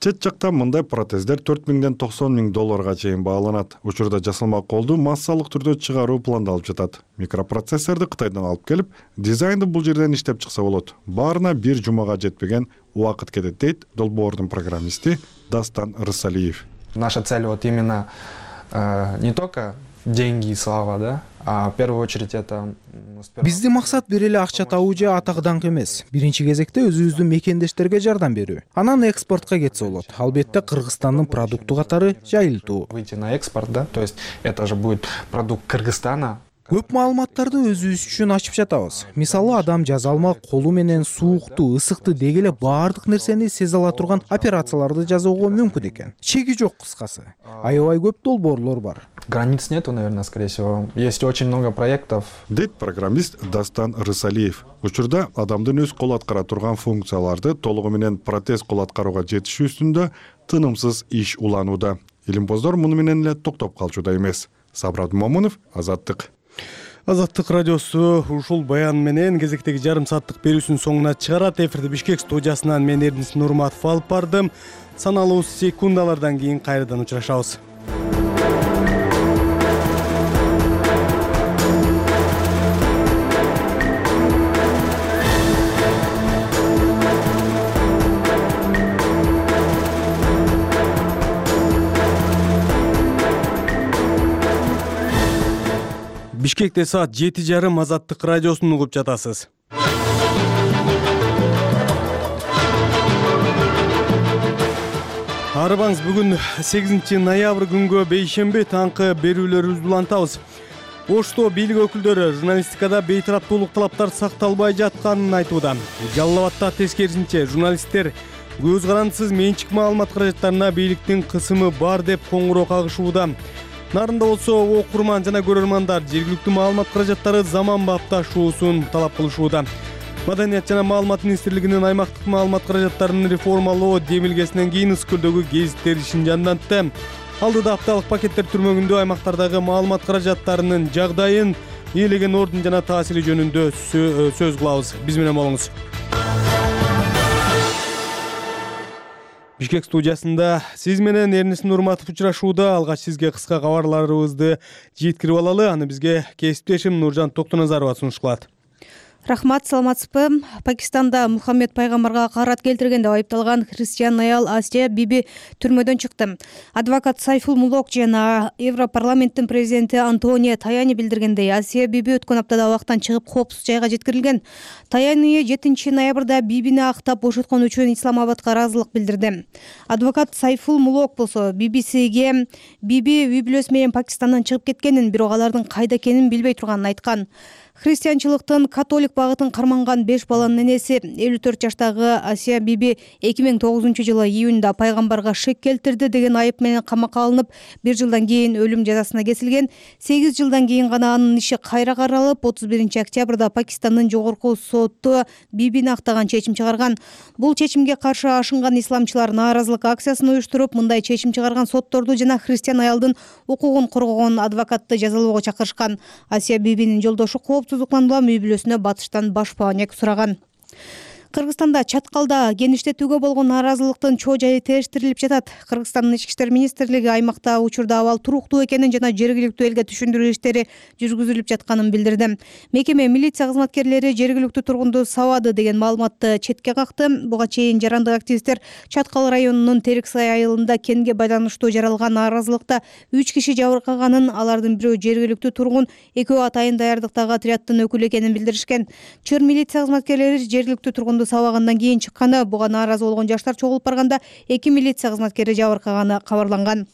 Чет жакта мындай протездер төрт миңден токсон миң долларга чейин бааланат. Учурда жасалма колду массалык түрдө чыгаруу пландалып жатат. Микропроцессорду Кытайдан алып келип, дизайнды бул жерден иштеп чыкса болот. Баарына бир жумага жетпеген убакыт кетет дейт долбоордун программисти Дастан Рысалиев. Наша цель вот именно э, не только деньги и слава, да, а в первую очередь это. Биздин максат бир эле акча табуу же атак даңк эмес. Биринчи кезекте өзүбүздүн мекендештерге жардам берүү. Анан экспортко кетсе болот. Албетте Кыргызстандын продукту катары жайылтуу. Выйти на экспорт, да, то есть это же будет продукт Кыргызстана. Көп маалыматтарды өзүбүз үчүн ачып жатабыз. Мисалы, адам жазалма колу менен суукту, ысыкты деги эле баардык нерсени сезе ала турган операцияларды жасоого мүмкүн экен. Чеги жок кыскасы. Аябай көп долбоорлор бар. границ нету, наверное, скорее всего. Есть очень много проектов. Дейт программист Дастан Рысалиев. Учурда адамдын өз кол аткара турган функцияларды толугу менен протез кол аткарууга жетишүү үстүндө тынымсыз иш уланууда. Илимпоздор муну менен эле токтоп калчуда эмес. Сабрат Момунов, Азаттык. Азаттык радиосу ушул баян менен кезектеги жарым сааттык берүүсүнүн соңуна чыгарат. Эфирди Бишкек студиясынан мен Эрнис Нурматов алып бардым. Саналуу секундалардан кийин кайрадан учурашабыз. Бишкекте саат жети жарым Азаттык радиосун угуп жатасыз. Арыбаңыз, бүгүн сегизинчи ноябрь күнгө бейшемби таңкы берүүлөрүбүздү улантабыз. Ошто бийлик өкүлдөрү журналистикада бейтараптуулук талаптар сакталбай жатканын айтууда. Жалал Абадта тескерисинче журналисттер көз карандысыз менчик маалымат каражаттарына бийликтин кысымы бар деп коңгуроо кагышууда. Нарында болсо окурман жана көрөрмандар жергиликтүү маалымат каражаттары заман бапташуусун талап кылышууда. Маданият жана маалымат министрлигинин аймактык маалымат каражаттарын реформалоо демилгесинен кийин Ыскөлдөгү гезиттер ишин жандантты. Алдыда апталык пакеттер түрмөгүндө аймактардагы маалымат каражаттарынын жагдайын, ээлеген ордун жана таасири жөнүндө сөз кылабыз. Биз менен болуңуз. Бишкек студиясында сиз менен Эрнис Нурматов учурашууда. Алгач сизге кыска кабарларыбызды жеткирип алалы. Аны бизге кесиптешим Нуржан Токтоназарова сунуш кылат. Рахмат, саламатсызбы? Пакистанда Мухаммед пайгамбарга карат келтирген деп айыпталган христиан аял Асия Биби түрмөдөн чыкты. Адвокат Сайфул Мулок жана Европарламенттин президенти Антонио Таяни билдиргендей, Асия Биби өткөн аптада абактан чыгып коопсуз жайга жеткирилген. Таяни жетинчи ноябрда Бибини актап бошоткон үчүн Исламабадка ыраазылык билдирди. Адвокат Сайфул Мулок болсо би би сиге Биби үй бүлөсү менен Пакистандан чыгып кеткенин, бирок алардын кайда экенин билбей турганын айткан. Христианчылыктын католик багытын карманган беш баланын энеси элүү төрт жаштагы Асия Биби эки миң тогузунчу жылы июнда пайгамбарга шек келтирди деген айып менен камакка алынып, бир жылдан кийин өлүм жазасына кесилген. сегиз жылдан кийин гана анын иши кайра каралып, отуз биринчи октябрда Пакистандын жогорку соту Бибини актаган чечим чыгарган. Бул чечимге каршы ашынган исламчылар нааразылык акциясын уюштуруп, мындай чечим чыгарган сотторду жана христиан аялдын укугун коргогон адвокатты жазалоого чакырышкан. Асия Бибинин жолдошу коопсуздуктан үй бүлөсүнө батыштан баш паанек сураган. Кыргызстанда чаткалда геништетүүгө болгон нааразылыктын чоо жайы териштирилип жатат. Кыргызстандын ички иштер министрлиги аймакта учурда абал туруктуу экенин жана жергиликтүү элге түшүндүрүү иштери жүргүзүлүп жатканын билдирди. Мекеме милиция кызматкерлери жергиликтүү тургунду сабады деген маалыматты четке какты. Буга чейин жарандык активисттер Чаткал районунун Териксай айылында кенге байланыштуу жаралган нааразылыкта үч киши жабыркаганын, алардын бирөө жергиликтүү тургун, экөө атайын даярдыктагы отряддын өкүлү экенин билдиришкен. Чыр милиция кызматкерлери жергиликтүү тургун сабагандан кийин чыкканы, буга нааразы болгон жаштар чогулуп барганда эки милиция кызматкери жабыркаганы кабарланган.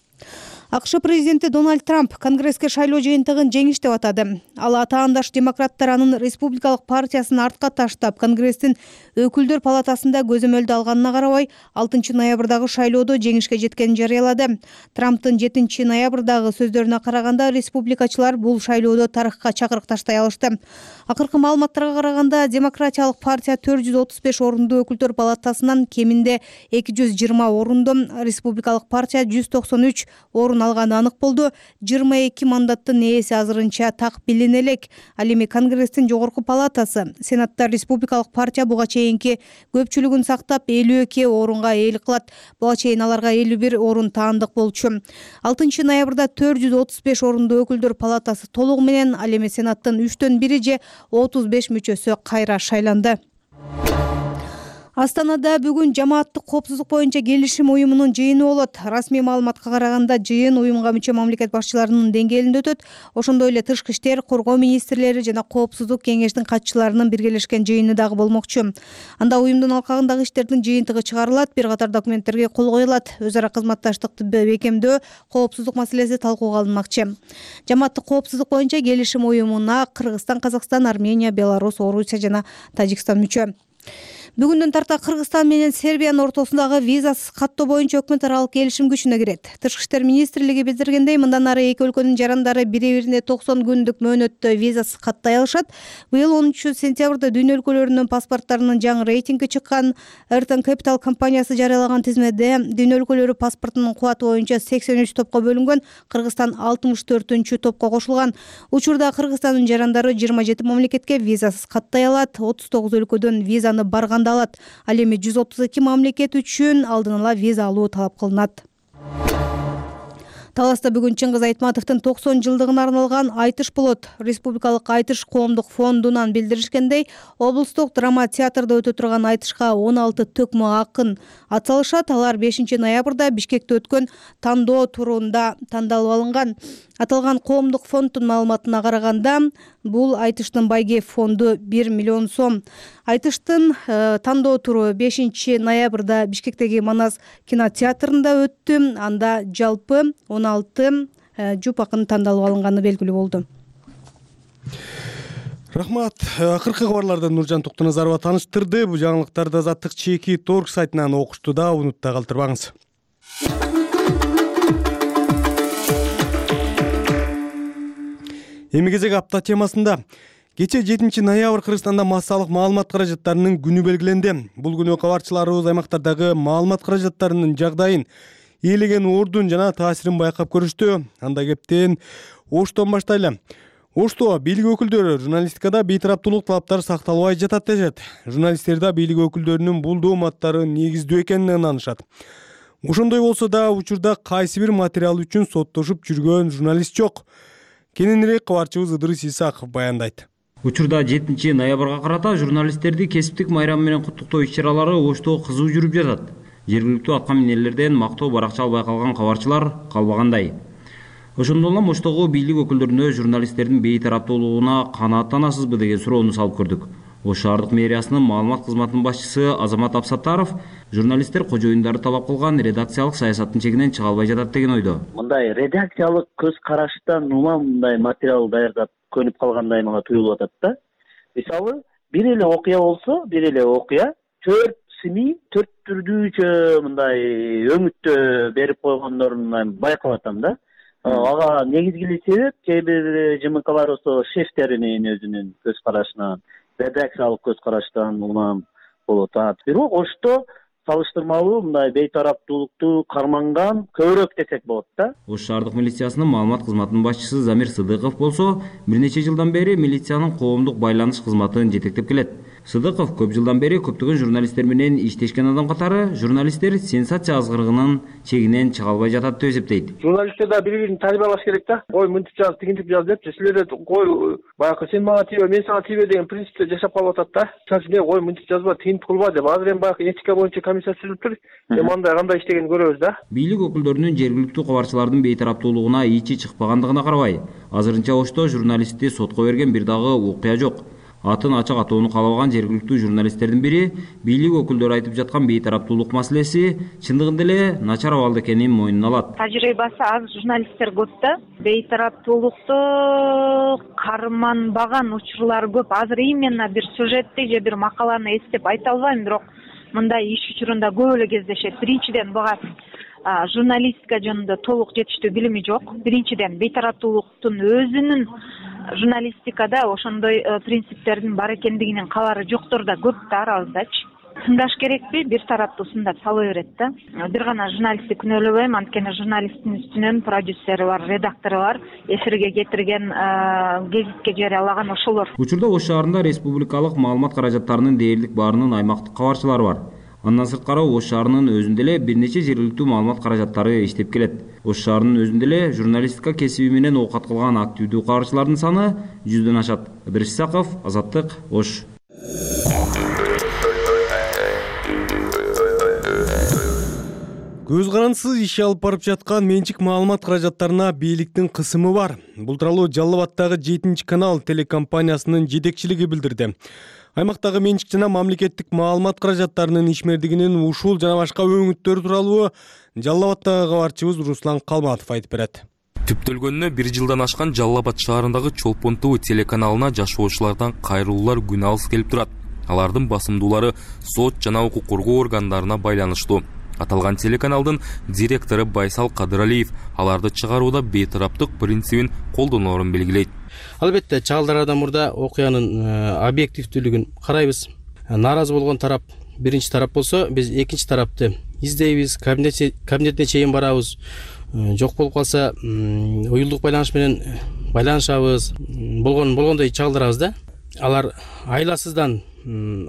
АКШ президенти Дональд Трамп Конгресске шайлоо жыйынтыгын жеңиш деп атады. Ал атаандаш демократтар анын республикалык партиясын артка таштап, Конгресстин өкүлдөр палатасында көзөмөлдү алганына карабай, алтынчы ноябрдагы шайлоодо жеңишке жеткенин жарыялады. Трамптын жетинчи ноябрдагы сөздөрүнө караганда, республикачылар бул шайлоодо тарыхка чакырык таштай алышты. Акыркы маалыматтарга караганда, демократиялык партия төрт жүз отуз беш орундуу өкүлдөр палатасынан кеминде эки жүз жыйырма орунду, республикалык партия жүз токсон үч орун алганы анык болду. жыйырма эки мандаттын ээси азырынча так билине элек. Ал эми Конгресстин жогорку палатасы, Сенатта республикалык партия буга чейинки көпчүлүгүн сактап элүү эки орунга ээлик кылат. Буга чейин аларга элүү бир орун таандык болчу. алтынчы ноябрда төрт жүз отуз беш орундуу өкүлдөр палатасы толугу менен, ал эми Сенаттын үчтөн бири же отуз беш мүчөсү кайра шайланды. Астанада бүгүн жамааттык коопсуздук боюнча келишим уюмунун жыйыны болот. Расмий маалыматка караганда, жыйын уюмга мүчө мамлекет башчыларынын деңгээлинде өтөт. Ошондой эле тышкы иштер, коргоо министрлери жана коопсуздук кеңештин катчыларынын биргелешкен жыйыны дагы болмокчу. Анда уюмдун алкагындагы иштердин жыйынтыгы чыгарылат, бир катар документтерге кол коюлат. Өз ара кызматташтыкты бекемдөө, коопсуздук маселеси талкууга алынмакчы. Жамааттык коопсуздук боюнча келишим уюмуна Кыргызстан, Казакстан, Армения, Беларусь, Орусия жана Тажикстан мүчө. Бүгүндөн тарта Кыргызстан менен Сербиянын ортосундагы визасыз каттоо боюнча өкмөт аралык келишим күчүнө кирет. Тышкы иштер министрлиги билдиргендей, мындан ары эки өлкөнүн жарандары бири-бирине токсон күндүк мөөнөттө визасыз каттай алышат. Быйыл онунчу сентябрда дүйнө өлкөлөрүнүн паспорттарынын жаңы рейтинги чыккан. Эртон Capital компаниясы жарыялаган тизмеде дүйнө өлкөлөрү паспортунун кубаты боюнча сексен үч топко бөлүнгөн, Кыргызстан алтымыш төртүнчү топко кошулган. Учурда Кыргызстандын жарандары жыйырма жети мамлекетке визасыз каттай алат, отуз тогуз өлкөдөн визаны барганда алат. Ал эми жүз отуз эки мамлекет үчүн алдын ала виза алуу талап кылынат. Таласта бүгүн Чыңгыз Айтматовдун токсон жылдыгына арналган айтыш болот. Республикалык айтыш коомдук фондунан билдиришкендей, облустук драма театрда өтө турган айтышка он алты төкмө акын атсалышат. Алар бешинчи ноябрда Бишкекте өткөн тандоо турунда тандалып алынган. Аталган коомдук фонддун маалыматына караганда, бул айтыштын байгеп фонду бир миллион сом. Айтыштын э, тандоо туру бешинчи ноябрда Бишкектеги Манас кинотеатрында өттү. Анда жалпы он алты э, жуп акын тандалып алынганы белгилүү болду. Рахмат. Акыркы кабарлардан Нуржан Токтоназарова тааныштырды. Бул жаңылыктарды Азаттык чеки торг сайтынан окушту да, унутта калтырбаңыз. Эми кезек апта темасында. Кече жетинчи ноябрь Кыргызстанда массалык маалымат каражаттарынын күнү белгиленди. Бул күнү кабарчыларыбыз аймактардагы маалымат каражаттарынын жагдайын, ээлеген ордун жана таасирин байкап көрүштү. Анда кептен Оштон баштайлы. Ошто бийлик өкүлдөрү журналистикада бейтараптуулук талаптары сакталбай жатат дешет. Журналисттер да бийлик өкүлдөрүнүн бул дооматтары негиздүү экенине ынанышат. Ошондой болсо да учурда кайсы бир материал үчүн соттошуп жүргөн журналист жок. Кененирээк кабарчыбыз Ыдырыс Исаков баяндайт. Учурда жетинчи ноябрга карата журналисттерди кесиптик майрам менен куттуктоо иш-чаралары Ошто кызуу жүрүп жатат. Жергиликтүү атка минерлерден мактоо баракча албай калган кабарчылар калбагандай. Ошондон улам Оштогу бийлик өкүлдөрүнө журналисттердин бейтараптуулугуна канааттанасызбы деген суроону салып көрдүк. Ош шаардык мэриясынын маалымат кызматынын башчысы Азамат Абсаттаров журналисттер кожоюндары талап кылган редакциялык саясаттын чегинен чыга албай жатат деген ойдо. Мындай редакциялык көз караштан улам мындай материал даярдап көнүп калгандай мага туюлуп атат да. Мисалы, бир эле окуя болсо, бир эле окуя төрт сми, төрт түрдүүчө мындай өңүттө берип койгондорун байкап атам да. Ага негизги себеп кээ бир ЖМКлар болсо шефтеринин өзүнүн көз карашынан, редакциялык көз караштан улам болот. Бирок Ошто салыштырмалуу мындай бейтараптуулукту карманган көбүрөөк десек болот да. Ош шаардык милициясынын маалымат кызматынын башчысы Замир Сыдыков болсо, бир нече жылдан бери милициянын коомдук байланыш кызматын жетектеп келет. Сыдыков көп жылдан бери көптөгөн журналисттер менен иштешкен адам катары журналисттер сенсация азгырыгынын чегинен чыга албай жатат деп эсептейт. Журналисттер да бири-бирин тааныбай алыш керек да. Ой, мынтип жаз, тигинтип жаз деп, силер кой баягы сен мага тийбе, мен сага тийбе деген принципте жашап калып атат да. Сен ой, мынтип жазба, тигинтип кылба деп. Азыр эми баягы этика боюнча комиссия түзүлүптүр. Эми андай кандай иштегенин көрөбүз да. Бийлик өкүлдөрүнүн жергиликтүү кабарчылардын бейтараптуулугуна ичи чыкпагандыгына карабай, азырынча Ошто журналистти сотко берген бир дагы окуя жок. Атын ачык атоону каалабаган жергиликтүү журналисттердин бири бийлик өкүлдөрү айтып жаткан бейтараптуулук маселеси чындыгында эле начар абалда экенин мойнуна алат. Тажрыйбасы аз журналисттер көп да. Бейтараптуулукту карманбаган учурлар көп. Азыр именно бир сюжетти же бир макаланы эстеп айта албайм, бирок мындай иш учурунда көп эле кездешет. Биринчиден буга журналистика жөнүндө толук жетиштүү билими жок. Биринчиден бейтараптуулуктун өзүнүн журналистикада ошондой принциптердин бар экендигинин кабары жоктор да көп да арабыздачы. Сындаш керекпи? Бир тараптуу сындап сала берет да. Бир гана журналистти күнөөлөбөйм, анткени журналисттин үстүнөн продюсери бар, редактору бар, эфирге кетирген, гезитке жарыялаган ошолор. Учурда Ош шаарында республикалык маалымат каражаттарынын дээрлик баарынын аймактык кабарчылары бар. Андан сырткары Ош шаарынын өзүндө эле бир нече жергиликтүү маалымат каражаттары иштеп келет. Ош шаарынын өзүндө эле журналистика кесиби менен оокат кылган активдүү кабарчылардын саны жүздөн ашат. Ыдырыс Исаков, Азаттык, Ош. Көз карандысыз иш алып барып жаткан менчик маалымат каражаттарына бийликтин кысымы бар. Бул тууралуу Жалал Абаддагы жетинчи канал телекомпаниясынын жетекчилиги билдирди. Аймактагы менчик жана мамлекеттик маалымат каражаттарынын ишмердигинин ушул жана башка өңүттөрү тууралуу Жалал Абаддагы кабарчыбыз Руслан Калматов айтып берет. Түптөлгөнүнө бир жылдан ашкан Жалал Абад шаарындагы Чолпон ТВ телеканалына жашоочулардан кайрылуулар күн алыс келип турат. алардын басымдуулары сот жана укук коргоо органдарына байланыштуу. Аталган телеканалдын директору Байсал Кадыралиев аларды чыгарууда бейтараптык принцибин колдоноорун белгилейт. Албетте, чагылдардан мурда окуянын объективдүүлүгүн карайбыз. Нааразы болгон тарап биринчи тарап болсо, биз экинчи тарапты издейбиз, кабинетине чейин барабыз. Жок болуп калса, уюлдук байланыш менен байланышабыз. Болгон болгондой чагылдырабыз да. Алар айласыздан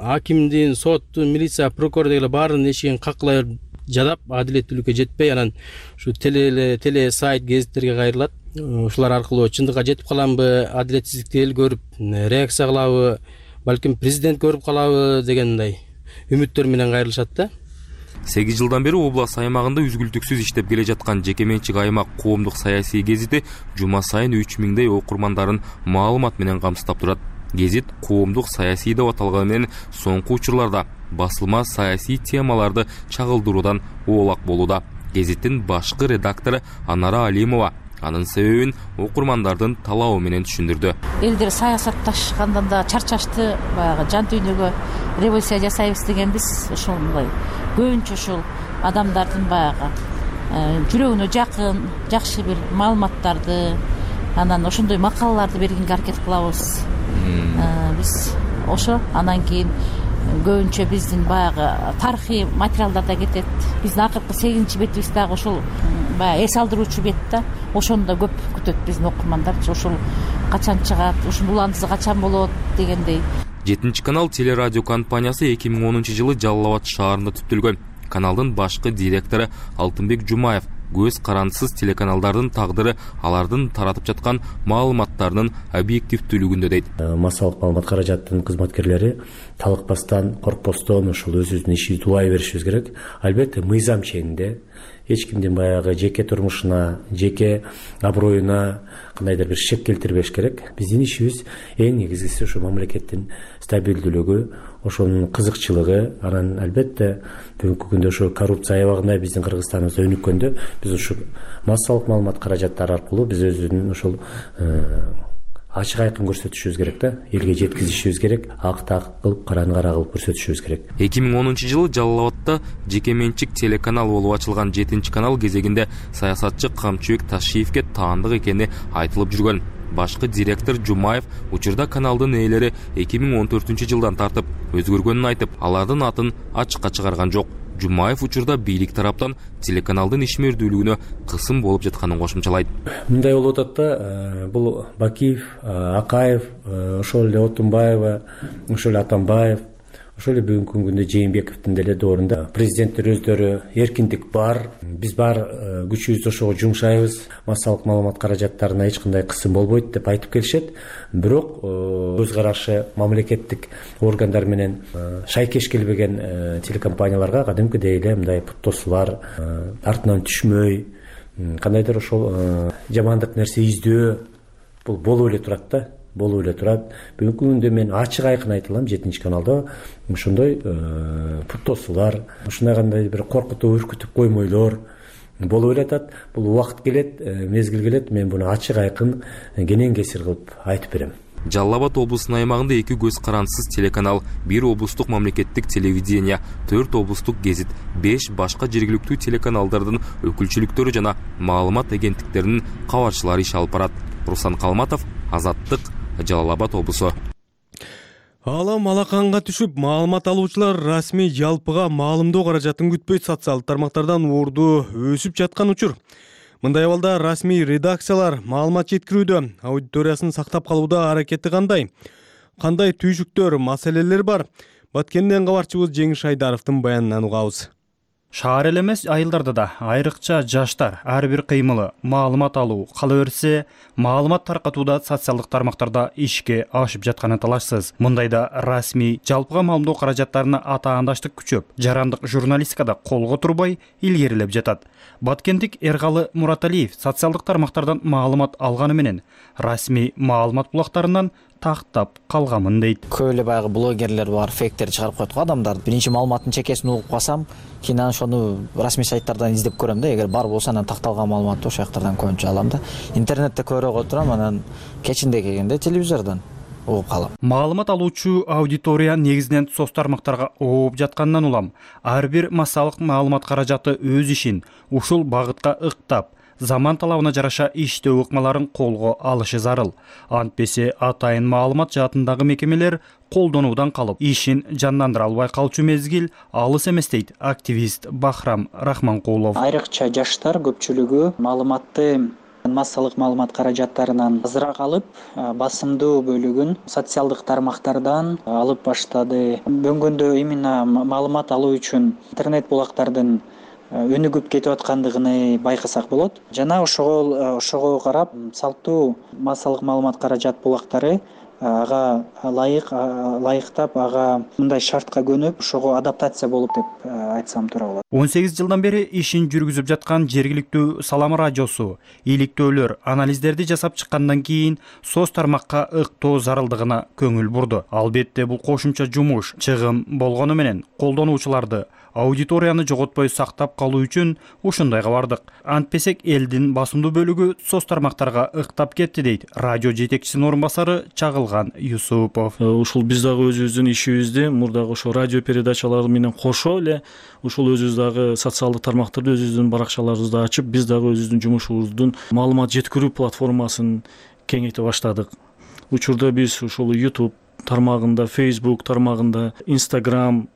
акимдин, соттун, милиция, прокурор дегеле баарынын эшигин каккылай жадап, адилеттүүлүккө жетпей, анан ушу теле теле сайт, гезиттерге кайрылат. Ушулар аркылуу чындыкка жетип каламбы, адилетсиздикти эл көрүп реакция кылабы, балким президент көрүп калабы дегендей үмүттөр менен кайрылышат да. сегиз жылдан бери область аймагында үзгүлтүксүз иштеп келе жаткан жеке менчик аймак коомдук саясий гезити жума сайын үч миңдей окурмандарын маалымат менен камсыздап турат. Гезит коомдук саясий деп аталганы менен соңку учурларда басылма саясий темаларды чагылдыруудан оолак болууда. Гезиттин башкы редактору Анара Алимова анын себебин окурмандардын талабы менен түшүндүрдү. Элдер саясатташкандан да чарчашты, баягы жан дүйнөгө революция жасайбыз дегенбиз. Ошондой көбүнчө ушул адамдардын баягы жүрөгүнө жакын, жакшы бир маалыматтарды, анан ошондой макалаларды бергенге аракет кылабыз. Биз ошо анан кийин көбүнчө биздин баягы тарыхый материалдарда кетет. Биздин акыркы сегизинчи бетибиз дагы ошол баягы эс алдыруучу бет да. Ошону да көп күтөт биздин окурмандар. Ошол качан чыгат, ушунун уландысы качан болот дегендей. жетинчи канал телерадио компаниясы эки миң онунчу жылы Жалал Абад шаарында түптөлгөн. Каналдын башкы директору Алтынбек Жумаев көз карандысыз телеканалдардын тагдыры алардын таратып жаткан маалыматтарынын объективдүүлүгүндө дейт. Массалык маалымат каражаттын кызматкерлери талыкпастан, коркпостон ушул өзүбүздүн ишибизди улай беришибиз керек. Албетте, мыйзам чегинде эч кимдин баягы жеке турмушуна, жеке аброюна кандайдыр бир шек келтирбеш керек. Биздин ишибиз эң негизгиси ушу мамлекеттин стабилдүүлүгү, ошонун кызыкчылыгы. Анан албетте бүгүнкү күндө ошо коррупция аябагында биздин Кыргызстаныбызда өнүккөндө биз ушу массалык маалымат каражаттары аркылуу биз өзүнүн ошол ачык айкын көрсөтүшүбүз керек да, элге жеткизишибиз керек, акты ак кылып, караны кара кылып көрсөтүшүбүз керек. эки миң онунчу жылы Жалал Абадта жеке менчик телеканал болуп ачылган жетинчи канал кезегинде саясатчы Камчыбек Ташиевке таандык экени айтылып жүргөн. Башкы директор Жумаев учурда каналдын ээлери эки миң он төртүнчү жылдан тартып өзгөргөнүн айтып, алардын атын ачыкка чыгарган жок. Жумаев учурда бийлик тараптан телеканалдын ишмердүүлүгүнө кысым болуп жатканын кошумчалайт. Мындай болуп атат да, бул Бакиев, Акаев, ошол эле Отунбаева, ошол эле Атамбаев, ошол эле бүгүнкү күндө Жээнбековдун деле доорунда президенттер өздөрү эркиндик бар, биз бар күчүбүздү ошого жумшайбыз, массалык маалымат каражаттарына эч кандай кысым болбойт деп айтып келишет. Бирок өз карашы мамлекеттик органдар менен шайкеш келбеген телекомпанияларга кадимкидей эле мындай путтосуулар, артынан түшмөй, кандайдыр ошол жамандык нерсе издөө бул болуп эле турат да. болуп эле турат. Бүгүнкү күндө мен ачык айкын айта алам, жетинчи каналда ошондой путтосуулар, ушундай кандай бир коркутуп, үркүтүп коймойлор болуп эле атат. Бул убакыт келет, мезгил келет, мен буну ачык айкын кенен кесир кылып айтып берем. Жалал Абад облусунун аймагында эки көз карандысыз телеканал, бир облустук мамлекеттик телевидение, төрт облустук гезит, беш башка жергиликтүү телеканалдардын өкүлчүлүктөрү жана маалымат агенттиктеринин кабарчылары иш алып барат. Руслан Калматов, Азаттык, Жалал Абад облусу. Алам алаканга түшүп, маалымат алуучулар расмий жалпыга маалымдоо каражатын күтпөй социалдык тармактардан уурду өсүп жаткан учур. Мындай абалда расмий редакциялар маалымат жеткирүүдө, аудиториясын сактап калууда аракети кандай? Кандай түйшүктөр, маселелер бар? Баткенден кабарчыбыз Жеңиш Айдаровдун баянынан угабыз. Шаар эле эмес, айылдарда да айрыкча жаштар ар бир кыймылы маалымат алуу, кала берсе, маалымат таркатууда социалдык тармактарда ишке ашып жатканы талашсыз. Мындайда расмий жалпыга маалымдоо каражаттарына атаандаштык күчөп, жарандык журналистикада колго турбай илгерилеп жатат. Баткендик Эргалы Мураталиев социалдык тармактардан маалымат алганы менен расмий маалымат булактарынан тактап калганмын дейт. Көп эле баягы блогерлер бар, фейктер чыгарып коет го адамдар. Биринчи маалыматтын чекесин угуп калсам, кийин ошону расмий сайттардан издеп көрөм да. Эгер бар болсо анан такталган маалыматты ошол жактардан көбүнчө алам да. Интернетте көрөп отурам, анан кечинде келгенде телевизордон. угуп калам. Маалымат алуучу аудитория негизинен соц тармактарга ооп жатканынан улам ар бир массалык маалымат каражаты өз ишин ушул багытка ыктап, заман талабына жараша иштөө ыкмаларын колго алышы зарыл. Антпесе атайын маалымат жаатындагы мекемелер колдонуудан калып, ишин жандандыра албай калчу мезгил алыс эмес дейт активист Бахрам Рахманкулов. Айрыкча жаштар көпчүлүгү маалыматты массалык маалымат каражаттарынан азыраак алып, басымдуу бөлүгүн социалдык тармактардан алып баштады. Бөгөндө именно маалымат алуу үчүн интернет булактардын өнүгүп кетип аткандыгын байкасак болот. Жана ошого ошого карап, салттуу массалык маалымат каражат булактары ага лайык лайыктап, ага мындай шартка көнүп, ошого адаптация болуп деп айтсам туура болот. он сегиз жылдан бери ишин жүргүзүп жаткан жергиликтүү Салам радиосу иликтөөлөр, анализдерди жасап чыккандан кийин соц тармакка ыктоо зарылдыгына көңүл бурду. Албетте бул кошумча жумуш, чыгым болгону менен колдонуучуларды, аудиторияны жоготпой сактап калуу үчүн ушундайга бардык. Антпесек элдин басымдуу бөлүгү соц тармактарга ыктап кетти дейт радио жетекчисинин орун басары Чагылган Юсупов. Ушул биз дагы өзүбүздүн ишибизди мурдагы ошо радио передачалары менен кошо эле ушул өзүбүз дагы социалдык тармактарды өзүбүздүн баракчаларыбызды ачып, биз дагы өзүбүздүн жумушубуздун маалымат жеткирүү платформасын кеңейте баштадык. Учурда биз ушул YouTube тармагында, Facebook тармагында, Instagram,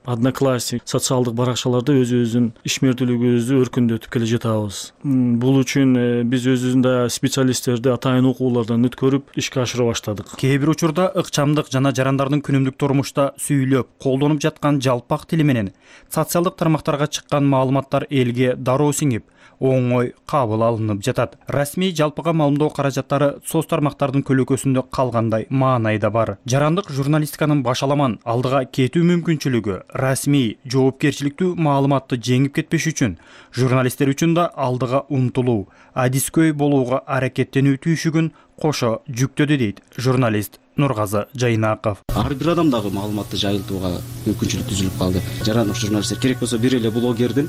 Одноклассник социалдык баракчаларда өзүбүздүн ишмердүүлүгүбүздү өркүндөтүп келе жатабыз. Бул үчүн биз өзүбүздүн да специалисттерди атайын окуулардан өткөрүп ишке ашыра баштадык. Кээ бир учурда ыкчамдык жана жарандардын күнүмдүк турмушта сүйлөп, колдонуп жаткан жалпак тили менен социалдык тармактарга чыккан маалыматтар элге дароо сиңип, оңой кабыл алынып жатат. Расмий жалпыга маалымдоо каражаттары соц тармактардын көлөкөсүндө калгандай маанай да бар. Жарандык журналистиканын башаламан алдыга кетүү мүмкүнчүлүгү, расмий жоопкерчиликтүү маалыматты жеңип кетпеш үчүн журналисттер үчүн да алдыга умтулуу, адискөй болууга аракеттенүү түйшүгүн кошо жүктөдү дейт журналист Нургазы Жайнаков. Ар бир адамдагы маалыматты жайылтууга мүмкүнчүлүк түзүлүп калды. Жарандык журналисттер керек болсо бир эле блогердин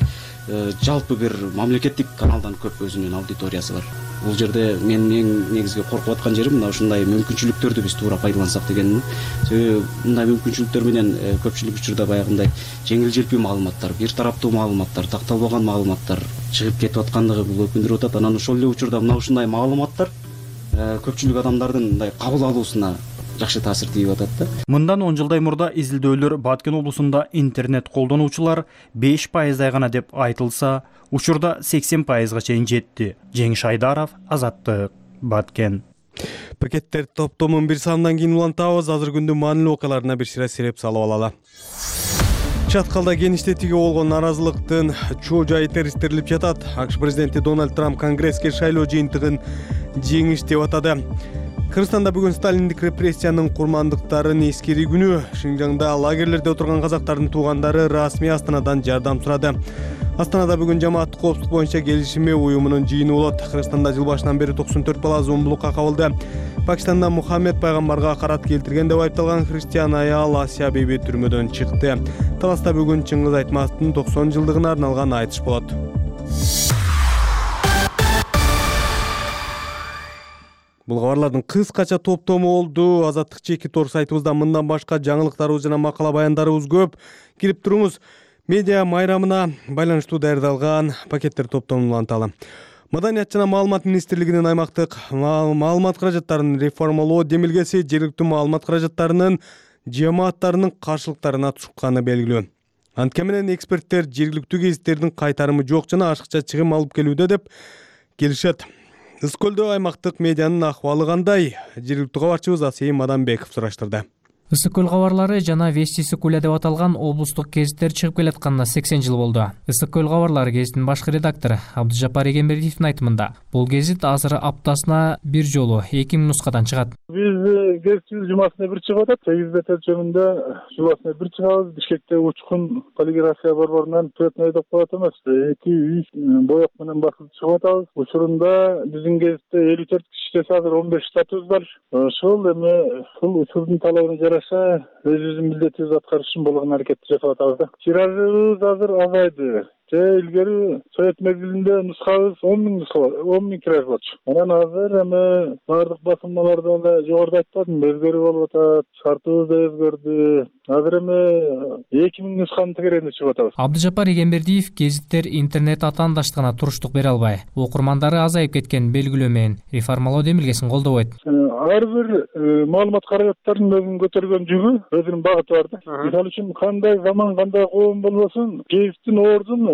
жалпы бир мамлекеттик каналдан көп өзүнүн аудиториясы бар. Бул жерде мен эң негизги коркуп аткан жерим мына ушундай мүмкүнчүлүктөрдү биз туура пайдалансак дегеним. Себеби мындай мүмкүнчүлүктөр менен көпчүлүк учурда баягындай жеңил желпүү маалыматтар, бир тараптуу маалыматтар, такталбаган маалыматтар чыгып кетип аткандыгы бул өкүндүрүп атат. Анан ошол эле учурда мына ушундай маалыматтар көпчүлүк адамдардын мындай кабыл алуусуна жакшы таасир тийип атат да. Мындан он жылдай мурда изилдөөлөр Баткен облусунда интернет колдонуучулар беш пайыздай гана деп айтылса, учурда сексен пайызга чейин жетти. Жеңиш Айдаров, Азаттык, Баткен. Пакеттер топтомун бир санынан кийин улантабыз. Азыр күндүн маанилүү окуяларына бир сыйра сереп салып алалы. Чаткалда Кеничтетиге болгон наразылыктын чоо жайы терістирилип жатат. АКШ президенти Дональд Трамп Конгресске шайлоо жыйынтыгын жеңиш деп атады. Кыргызстанда бүгүн сталиндик репрессиянын курмандыктарын эскери күнү. Шинжаңда лагерлерде отурган казактардын туугандары расмий Астанадан жардам сурады. Астанада бүгүн жамааттык коопсуздук боюнча келишими уюмунун жыйыны болот. Кыргызстанда жыл башынан бери токсон төрт бала зомбулукка кабылды. Пакистанда Мухаммед пайгамбарга карат келтирген деп айыпталган христиан аял Асия Биби түрмөдөн чыкты. Таласта бүгүн Чыңгыз Айтматовдун токсон жылдыгына арналган айтыш болот. Бул кабарлардын кыскача топтому болду. Азаттык чеки тор сайтыбызда мындан башка жаңылыктарыбыз жана макала баяндарыбыз көп. Кирип туруңуз. Медиа майрамына байланыштуу даярдалган пакеттер топтомун уланталы. Маданият жана маалымат министрлигинин аймактык маалымат каражаттарын реформалоо демилгеси жергиликтүү маалымат каражаттарынын жамааттарынын каршылыктарына чыкканы белгилүү. Анткени менен эксперттер жергиликтүү гезиттердин кайтарымы жок жана ашыкча чыгым алып келүүдө деп келишет. Ысык көлдө аймактык медианын акыбалы кандай? Жергиликтүү кабарчыбыз Асейин Маданбеков сураштырды. Ысык көл кабарлары жана Вести Сыкуля деп аталган облустук гезиттер чыгып келатканына сексен жыл болду. Ысык көл кабарлары гезитинин башкы редактору Абдыжапар Эгембердиевдин айтымында, бул гезит азыр аптасына бир жолу эки миң нускадан чыгат. Биз гезитибиз жумасына бир чыгып атат. сегиз бет өлчөмүндө жумасына бир чыгабыз. Бишкекте учкун полиграфия борборунан цветной деп коет эмес, эки үч боек менен басып чыгып атабыз. Учурунда биздин гезитте элүү төрт киши азыр он беш штатыбыз бар. Ошол эми ушул учурдун талабына жараша өзүбүздүн милдетибизди аткарыш үчүн болгон аракетти жасап атабыз да. Тиражыбыз азыр азайды. же илгери совет мезгилинде нускабыз он миң нуска он миң тираж болчу. Анан азыр эми баардык басылмаларда эле жогоруда айтып атам, өзгөрүп болуп атат, шартыбыз да өзгөрдү. Азыр эми эки миң нусканын тегерегинде чыгып атабыз. Абдыжапар Эгембердиев гезиттер интернет атаандаштыгына туруштук бере албай, окурмандары азайып кеткен белгилөө менен реформалоо демилгесин колдобойт. Ар бир маалымат каражаттарынын өзүнүн көтөргөн жүгү өзүнүн багыты бар да. Мисалы үчүн кандай заман, кандай коом болбосун, гезиттин ордун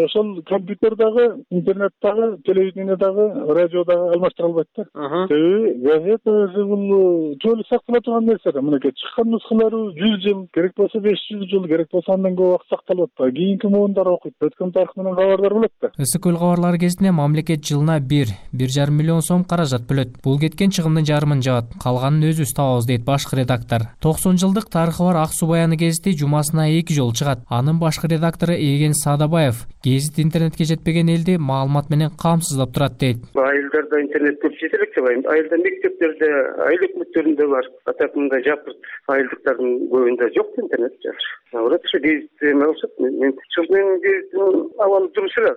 ошол компьютердагы, интернеттагы, телевидениядагы, радиодагы алмаштыра албайт да. Себеби газета өзү бул жолу сактала турган нерсе да. Мынакей чыккан нускалары жүз жыл, керек болсо беш жүз жыл, керек болсо андан көп убакыт сакталып атпайбы. Кийинки муундар окуйт, өткөн тарых менен кабардар болот да. Ысык көл кабарлары гезитине мамлекет жылына бир бир жарым миллион сом каражат бөлөт. Бул кеткен чыгымдын жарымын жабат, калганын өзүбүз табабыз дейт башкы редактор. токсон жылдык тарыхы бар Ак суу баяны гезити жумасына эки жолу чыгат. Анын башкы редактору Эген Садабаев гезит интернетке жетпеген элди маалымат менен камсыздап турат дейт. Айылдарда интернет көп жете элек деп айылда. Айылда мектептерде, айыл өкмөттөрүндө бар. Атап мындай жапырт айылдыктардын көбүндө жок интернет жазыр. Алар ошо гезит эме болсот, мен чынын гезитин абалы туруш эле.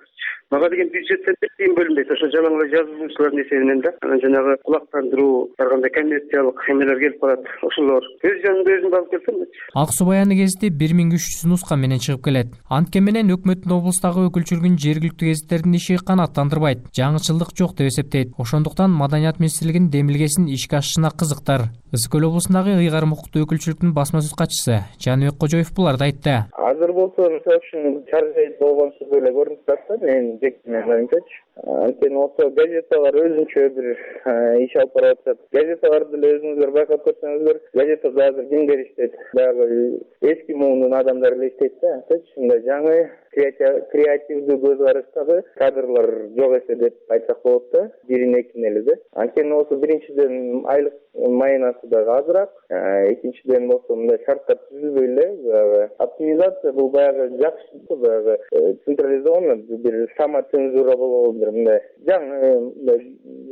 Мага деген бюджеттен тиң бөлүнбөйт. Ошо жалаң эле жазуучулардын эсебинен да. Анан жанагы кулактандыруу, ар кандай коммерциялык эмелер келип калат. Ошолор өз жанында өзүн алып келсем. Ак суу баяны гезити бир миң үч жүз нуска менен чыгып келет. Антке менен өкмөттүн облустагы өкүлчүлүгүн жергиликтүү гезиттердин иши канааттандырбайт, жаңычылдык жок деп эсептейт. Ошондуктан Маданият министрлигинин демилгесин ишке ашышына кызыктар. Ысык көл облусундагы ыйгарым укуктуу өкүлчүлүктүн басма сөз катчысы Жаныбек Кожоев буларды айтты. Азыр болсо мисалы үчүн чаржайт болгонсуз эле көрүнүп турат да, менин жеке оюмчачы. Анткени болсо газеталар өзүнчө бир иш алып барып атат. Газеталарды деле өзүңүздөр байкап көрсөңүздөр, газетада азыр кимдер иштейт? Дагы эски муунун адамдары эле иштейт да. Ушундай жаңы креативдүү көз караштагы кадрлар жок эсе деп айтсак болот да. Бирин экин эле да. Анткени болсо биринчиден айлык майнасы дагы азыраак, экинчиден болсо мындай шарттар түзүлбөй эле. Оптимизация бул баягы жакшы, баягы централизованный бир самоцензура болобу бир мындай жаңы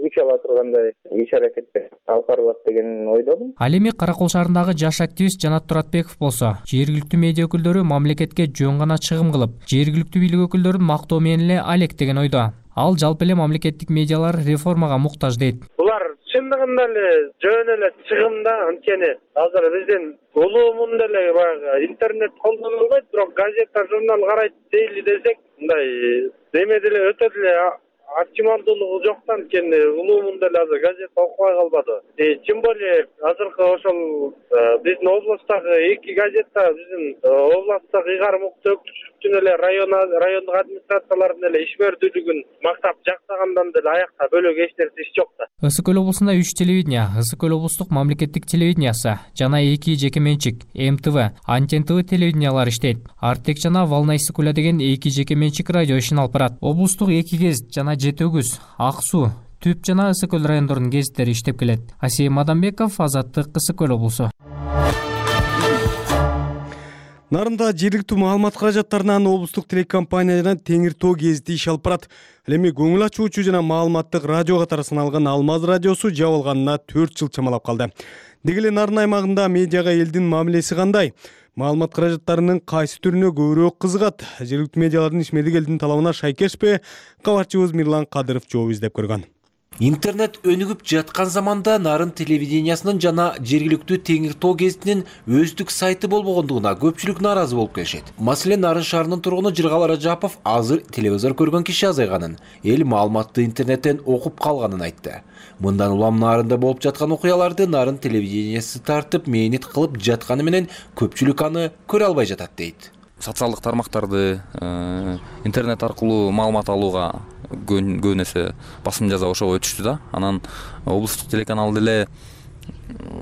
күч ала тургандай иш аракеттер алып барылат деген ойдомун. Ал эми Каракол шаарындагы жаш активист Жанат Туратбеков болсо, жергиликтүү медиа өкүлдөрү мамлекетке жөн гана чыгым кылып, жергиликтүү бийлик өкүлдөрүн мактоо менен эле алектеген ойдо. Ал жалпы эле мамлекеттик медиалар реформага муктаж дейт. Булар чындыгында эле жөн эле чыгымда, анткени азыр биздин улуу мунда эле баягы интернет колдонулбайт, бирок газета, журнал карайт дейли десек, мындай деме деле өтө деле оптималдуулугу жоктан анткени улуу мунда эле азыр газета окубай калбады. Тем более азыркы ошол биздин облустагы эки газета биздин областтагы ыйгарым укуктуу өкүлчүлүктүн эле район райондук администрациялардын эле ишмердүүлүгүн мактап жактагандан деле аякта бөлөк эч нерсе иш жок да. Ысык көл облусунда үч телевидение, Ысык көл облустук мамлекеттик телевидениясы жана эки жеке менчик эм тэ вэ, Антен тэ вэ телевидениялары иштейт. Артек жана Волна Ысык көлө деген эки жеке менчик радио ишин алып барат. Облустук эки гезит жана Жети өгүз, Ак суу, Түп жана Ысык көл райондорунун гезиттери иштеп келет. Асия Мадамбеков, Азаттык, Ысык көл облусу. Нарында жергиликтүү маалымат каражаттарынан облустук телекомпания жана Теңир Тоо гезити иш алып барат. Ал эми көңүл ачуучу жана маалыматтык радио катары саналган Алмаз радиосу жабылганына төрт жыл чамалап калды. Деги эле Нарын аймагында медиага элдин мамилеси кандай? Маалымат каражаттарынын кайсы түрүнө көбүрөөк кызыгат? Жергиликтүү медиалардын ишмердик элдин талабына шайкешпи? Кабарчыбыз Мирлан Кадыров жооп издеп көргөн. Интернет өнүгүп жаткан заманда Нарын телевидениясынын жана жергиликтүү Теңир Тоо гезитинин өздүк сайты болбогондугуна көпчүлүк нааразы болуп келишет. Маселен, Нарын шаарынын тургуну Жыргал Ражапов азыр телевизор көргөн киши азайганын, эл маалыматты интернеттен окуп калганын айтты. Мындан улам Нарында болуп жаткан окуяларды Нарын телевидениясы тартып, мээнет кылып жатканы менен көпчүлүк аны көрө албай жатат дейт. Социалдык тармактарды интернет аркылуу маалымат алууга көбүн эсе басым жаза ошого өтүштү да. Анан облустук телеканал деле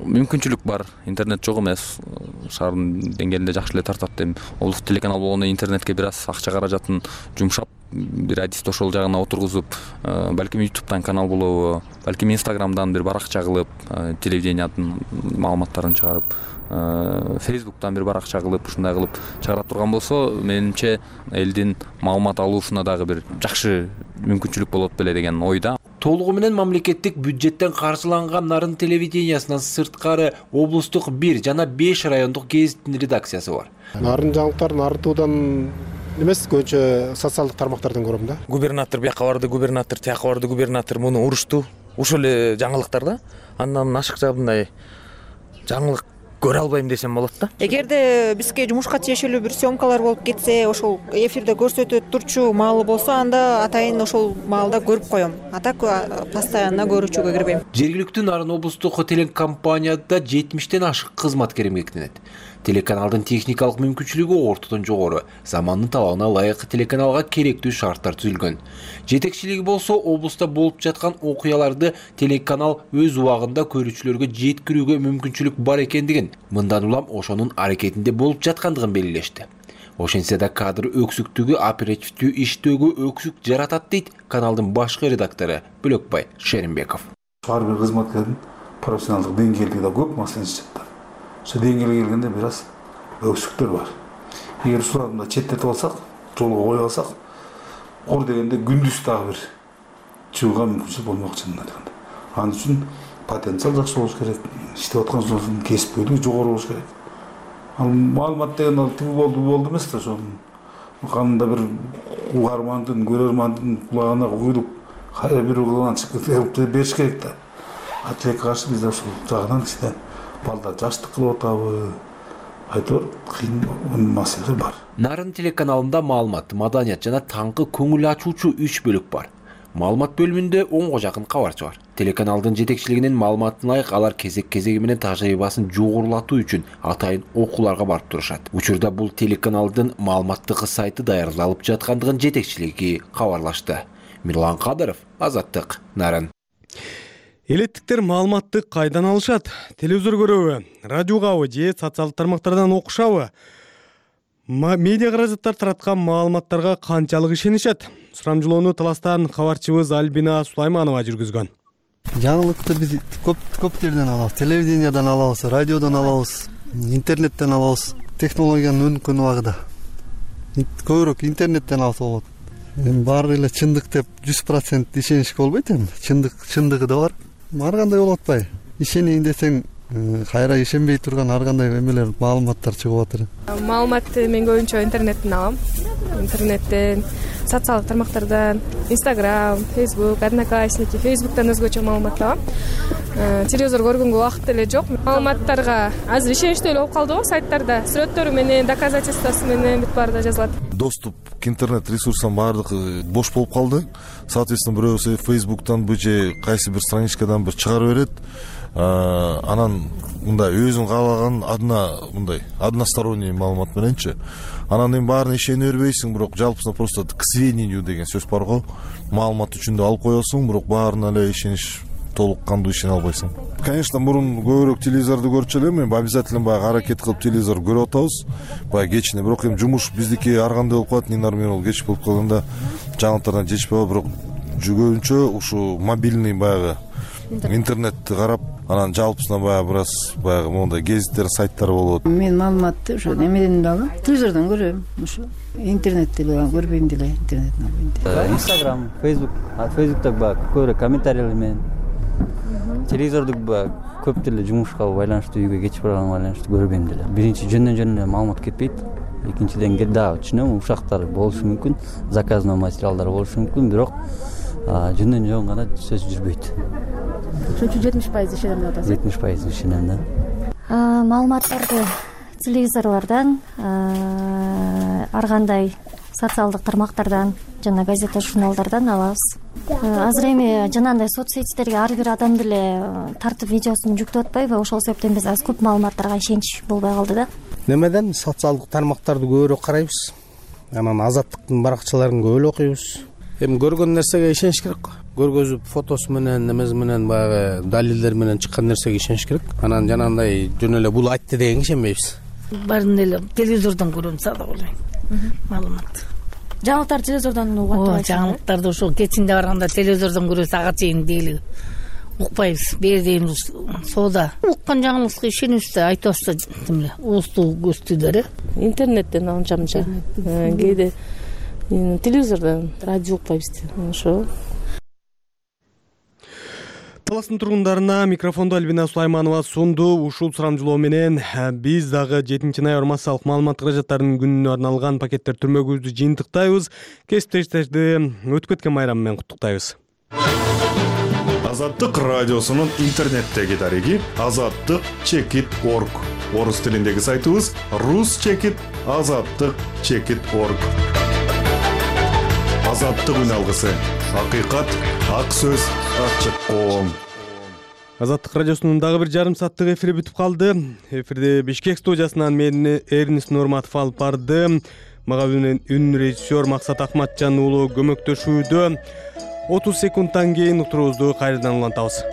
мүмкүнчүлүк бар, интернет жок эмес, шаардын деңгээлинде жакшы эле тартат деп. Облустук телеканал болгондо интернетке бир аз акча каражатын жумшап, бир адисти ошол жагына отургузуп, балким ютубтан канал болобу, балким инстаграмдан бир баракча кылып, телевидениянын маалыматтарын чыгарып, фейсбуктан бир баракча кылып, ушундай кылып чыгара турган болсо, менимче элдин маалымат алуусуна дагы бир жакшы мүмкүнчүлүк болот беле деген ойда. Толугу менен мамлекеттик бюджеттен каржыланган Нарын телевидениясынан сырткары облустук бир жана беш райондук гезиттин редакциясы бар. Нарын жаңылыктар Нарын туудан эмес, көбүнчө социалдык тармактардан көрөм да. Губернатор бияка барды, губернатор тияка барды, губернатор муну урушту. Ошол эле жаңылыктар да. Андан ашыкча мындай жаңылык көрө албайм десем болот да. Эгерде бизге жумушка тиешелүү бир съемкалар болуп кетсе, ошол эфирде көрсөтүп турчу маалы болсо, анда атайын ошол маалда көрүп коем. А так постоянно көрүүчүгө кирбейм. Жергиликтүү Нарын облустук телекомпанияда жетимиштен ашык кызматкер эмгектенет. Телеканалдын техникалык мүмкүнчүлүгү ортодон жогору, замандын талабына ылайык телеканалга керектүү шарттар түзүлгөн. Жетекчилиги болсо облуста болуп жаткан окуяларды телеканал өз убагында көрүүчүлөргө жеткирүүгө мүмкүнчүлүк бар экендигин, мындан улам ошонун аракетинде болуп жаткандыгын белгилешти. Ошентсе да кадр өксүктүгү оперативдүү иштөөгө өксүк жаратат дейт каналдын башкы редактору Бөлөкбай Шеримбеков. Ар бир кызматкердин профессионалдык деңгээли да көп маселе. Ошо деңгээлге келгенде бир аз өксүктөр бар. Эгер ушуларды четтетип алсак, жолго коюп алсак, ор дегенде күндүз дагы бир чыгууга мүмкүнчүлүк болмок чынын айтканда. Ал үчүн потенциал жакшы болуш керек, иштеп аткан жолдун кесипкөйлүгү жогору болуш керек. Ал маалымат деген ал тиги болду болду эмес да, ошол кандай бир угармандын, көрөрмандын кулагына куюлуп, кайра бир угулдан чыгып бериш керек да. Атилекке каршы биз ошол жагынан иште балдар жаштык кылып атабы, айтор кыйын маселелер бар. Нарын телеканалында маалымат, маданият жана таңкы көңүл ачуучу үч бөлүк бар. Маалымат бөлүмүндө онго жакын кабарчы бар. Телеканалдын жетекчилигинин маалыматына ылайык алар кезек-кезеги менен тажрыйбасын жогорулатуу үчүн атайын окууларга барып турушат. Учурда бул телеканалдын маалыматтык сайты даярдалып жаткандыгын жетекчилиги кабарлашты. Мирлан Кадыров, Азаттык, Нарын. Элеттиктер маалыматты кайдан алышат? Телевизор көрөбү, радиогабы же социалдык тармактардан окушабы? Медиа каражаттар тараткан маалыматтарга канчалык ишенишет? Сурамжылоону Таластан кабарчыбыз Альбина Сулайманова жүргүзгөн. Жаңылыкты биз көп көп жерден алабыз. Телевидениядан алабыз, радиодон алабыз, интернеттен алабыз. Технологиянын өнүккөн убагында көбүрөөк интернеттен алса болот. Эми баары эле чындык деп жүз процент ишенишке болбойт эми. Чындык чындыгы да бар. Ар кандай болуп атпайбы? Ишенейин десең, кайра ишенбей турган ар кандай эмелер, маалыматтар чыгып атыр. Маалыматты мен көбүнчө интернеттен алам. Интернеттен, социалдык тармактардан, Instagram, Facebook, Одноклассники, Facebook'тан өзгөчө маалымат алам. Телевизор көргөнгө убакыт эле жок. Маалыматтарга азыр ишеничтүү эле болуп калды го сайттарда. Сүрөттөрү менен, доказательствосы менен бүт баарында жазылат. Доступ к интернет ресурсам баардыгы бош болуп калды. Соответственно, бирөөсү Facebook'тан же кайсы бир страничкадан бир чыгарып берет. Анан мындай өзүң каалаган одна мындай односторонний маалымат мененчи. Анан эми баарына ишене бербейсиң, бирок жалпысына просто к сведению деген сөз бар го. Маалымат үчүн да алып коесуң, бирок баарына эле ишениш толук кандуу ишене албайсың. Конечно, мурун көбүрөөк телевизорду көрчү элем, эми обязательно баягы аракет кылып телевизор көрүп атабыз. Баягы кечине, бирок эми жумуш биздики ар кандай болуп калат, Нинар менен кеч болуп калганда жаңылыктардан жетишпей калат, бирок жүгөөнчө ушу мобильный баягы интернетти карап, анан жалпысына баягы бир аз баягы мондай гезиттер, сайттар болот. Мен маалыматты ошо немеден да алам, телевизордон көрөм, ошо интернетти көрбөйм деле, интернеттен албайм. Instagram, Facebook, Facebook'та баягы көбүрөөк комментарийлер менен, телевизордук баягы көп деле жумушка байланыштуу, үйгө кеч барганга байланыштуу көрбөйм деле. Биринчи жөндөн жөн эле маалымат кетпейт. Экинчиден да түшүнөм, ушактар болушу мүмкүн, заказной материалдар болушу мүмкүн, бирок жөндөн жөн гана сөз жүрбөйт. Ошон үчүн жетимиш пайыз ишенем деп атасыз. жетимиш пайыз ишенем да. Маалыматтарды телевизорлордон, ар кандай социалдык тармактардан жана газета, журналдардан алабыз. Азыр эми жанагындай соцсеттерге ар бир адам деле тартып видеосун жүктөп атпайбы? Ошол себептен биз аз көп маалыматтарга ишенич болбой калды да. Немеден социалдык тармактарды көбүрөөк карайбыз. Анан Азаттыктын баракчаларын көп эле окуйбуз. Эми көргөн нерсеге ишениш керек го. Көргөзүп фотосу менен, немеси менен баягы далилдер менен чыккан нерсеге ишениш керек. Анан жанагындай жөн эле бул айтты дегенге ишенбейбиз. Баарын эле телевизордон көрөм сада болойм. Маалымат. Жаңылыктар телевизордон угат атпайсызбы? Жаңылыктарды ошол кечинде барганда телевизордон көрөбүз, ага чейин дейли укпайбыз. Бери дейин соода. Уккан жаңылыкка ишенебиз да, айтабыз да, демеле, уустуу көстүлөр. Интернеттен алынчам жа. Кээде телевизордон, радио укпайбыз. Ошо. таластын тургундарына микрофондо Альбина Сулайманова сунду. Ушул сурамжылоо менен биз дагы жетинчи ноябрь массалык маалымат каражаттарынын күнүнө арналган пакеттер түрмөгүбүздү жыйынтыктайбыз. Кесиптештерди өтүп кеткен майрам менен куттуктайбыз. Азаттык радиосунун интернеттеги дареги азаттык чекит точка орг. Орус тилиндеги сайтыбыз рус чекит азаттык чекит точка орг. Азаттык үн алгысы. Акыйкат, ак сөз, ачык коом. Азаттык радиосунун дагы бир жарым сааттык эфири бүтүп калды. Эфирди Бишкек студиясынан мен Эрнис Нурматов алып барды. Мага үн режиссер Максат Акматжан уулу көмөктөшүүдө. отуз секундтан кийин утурубузду кайрадан улантабыз.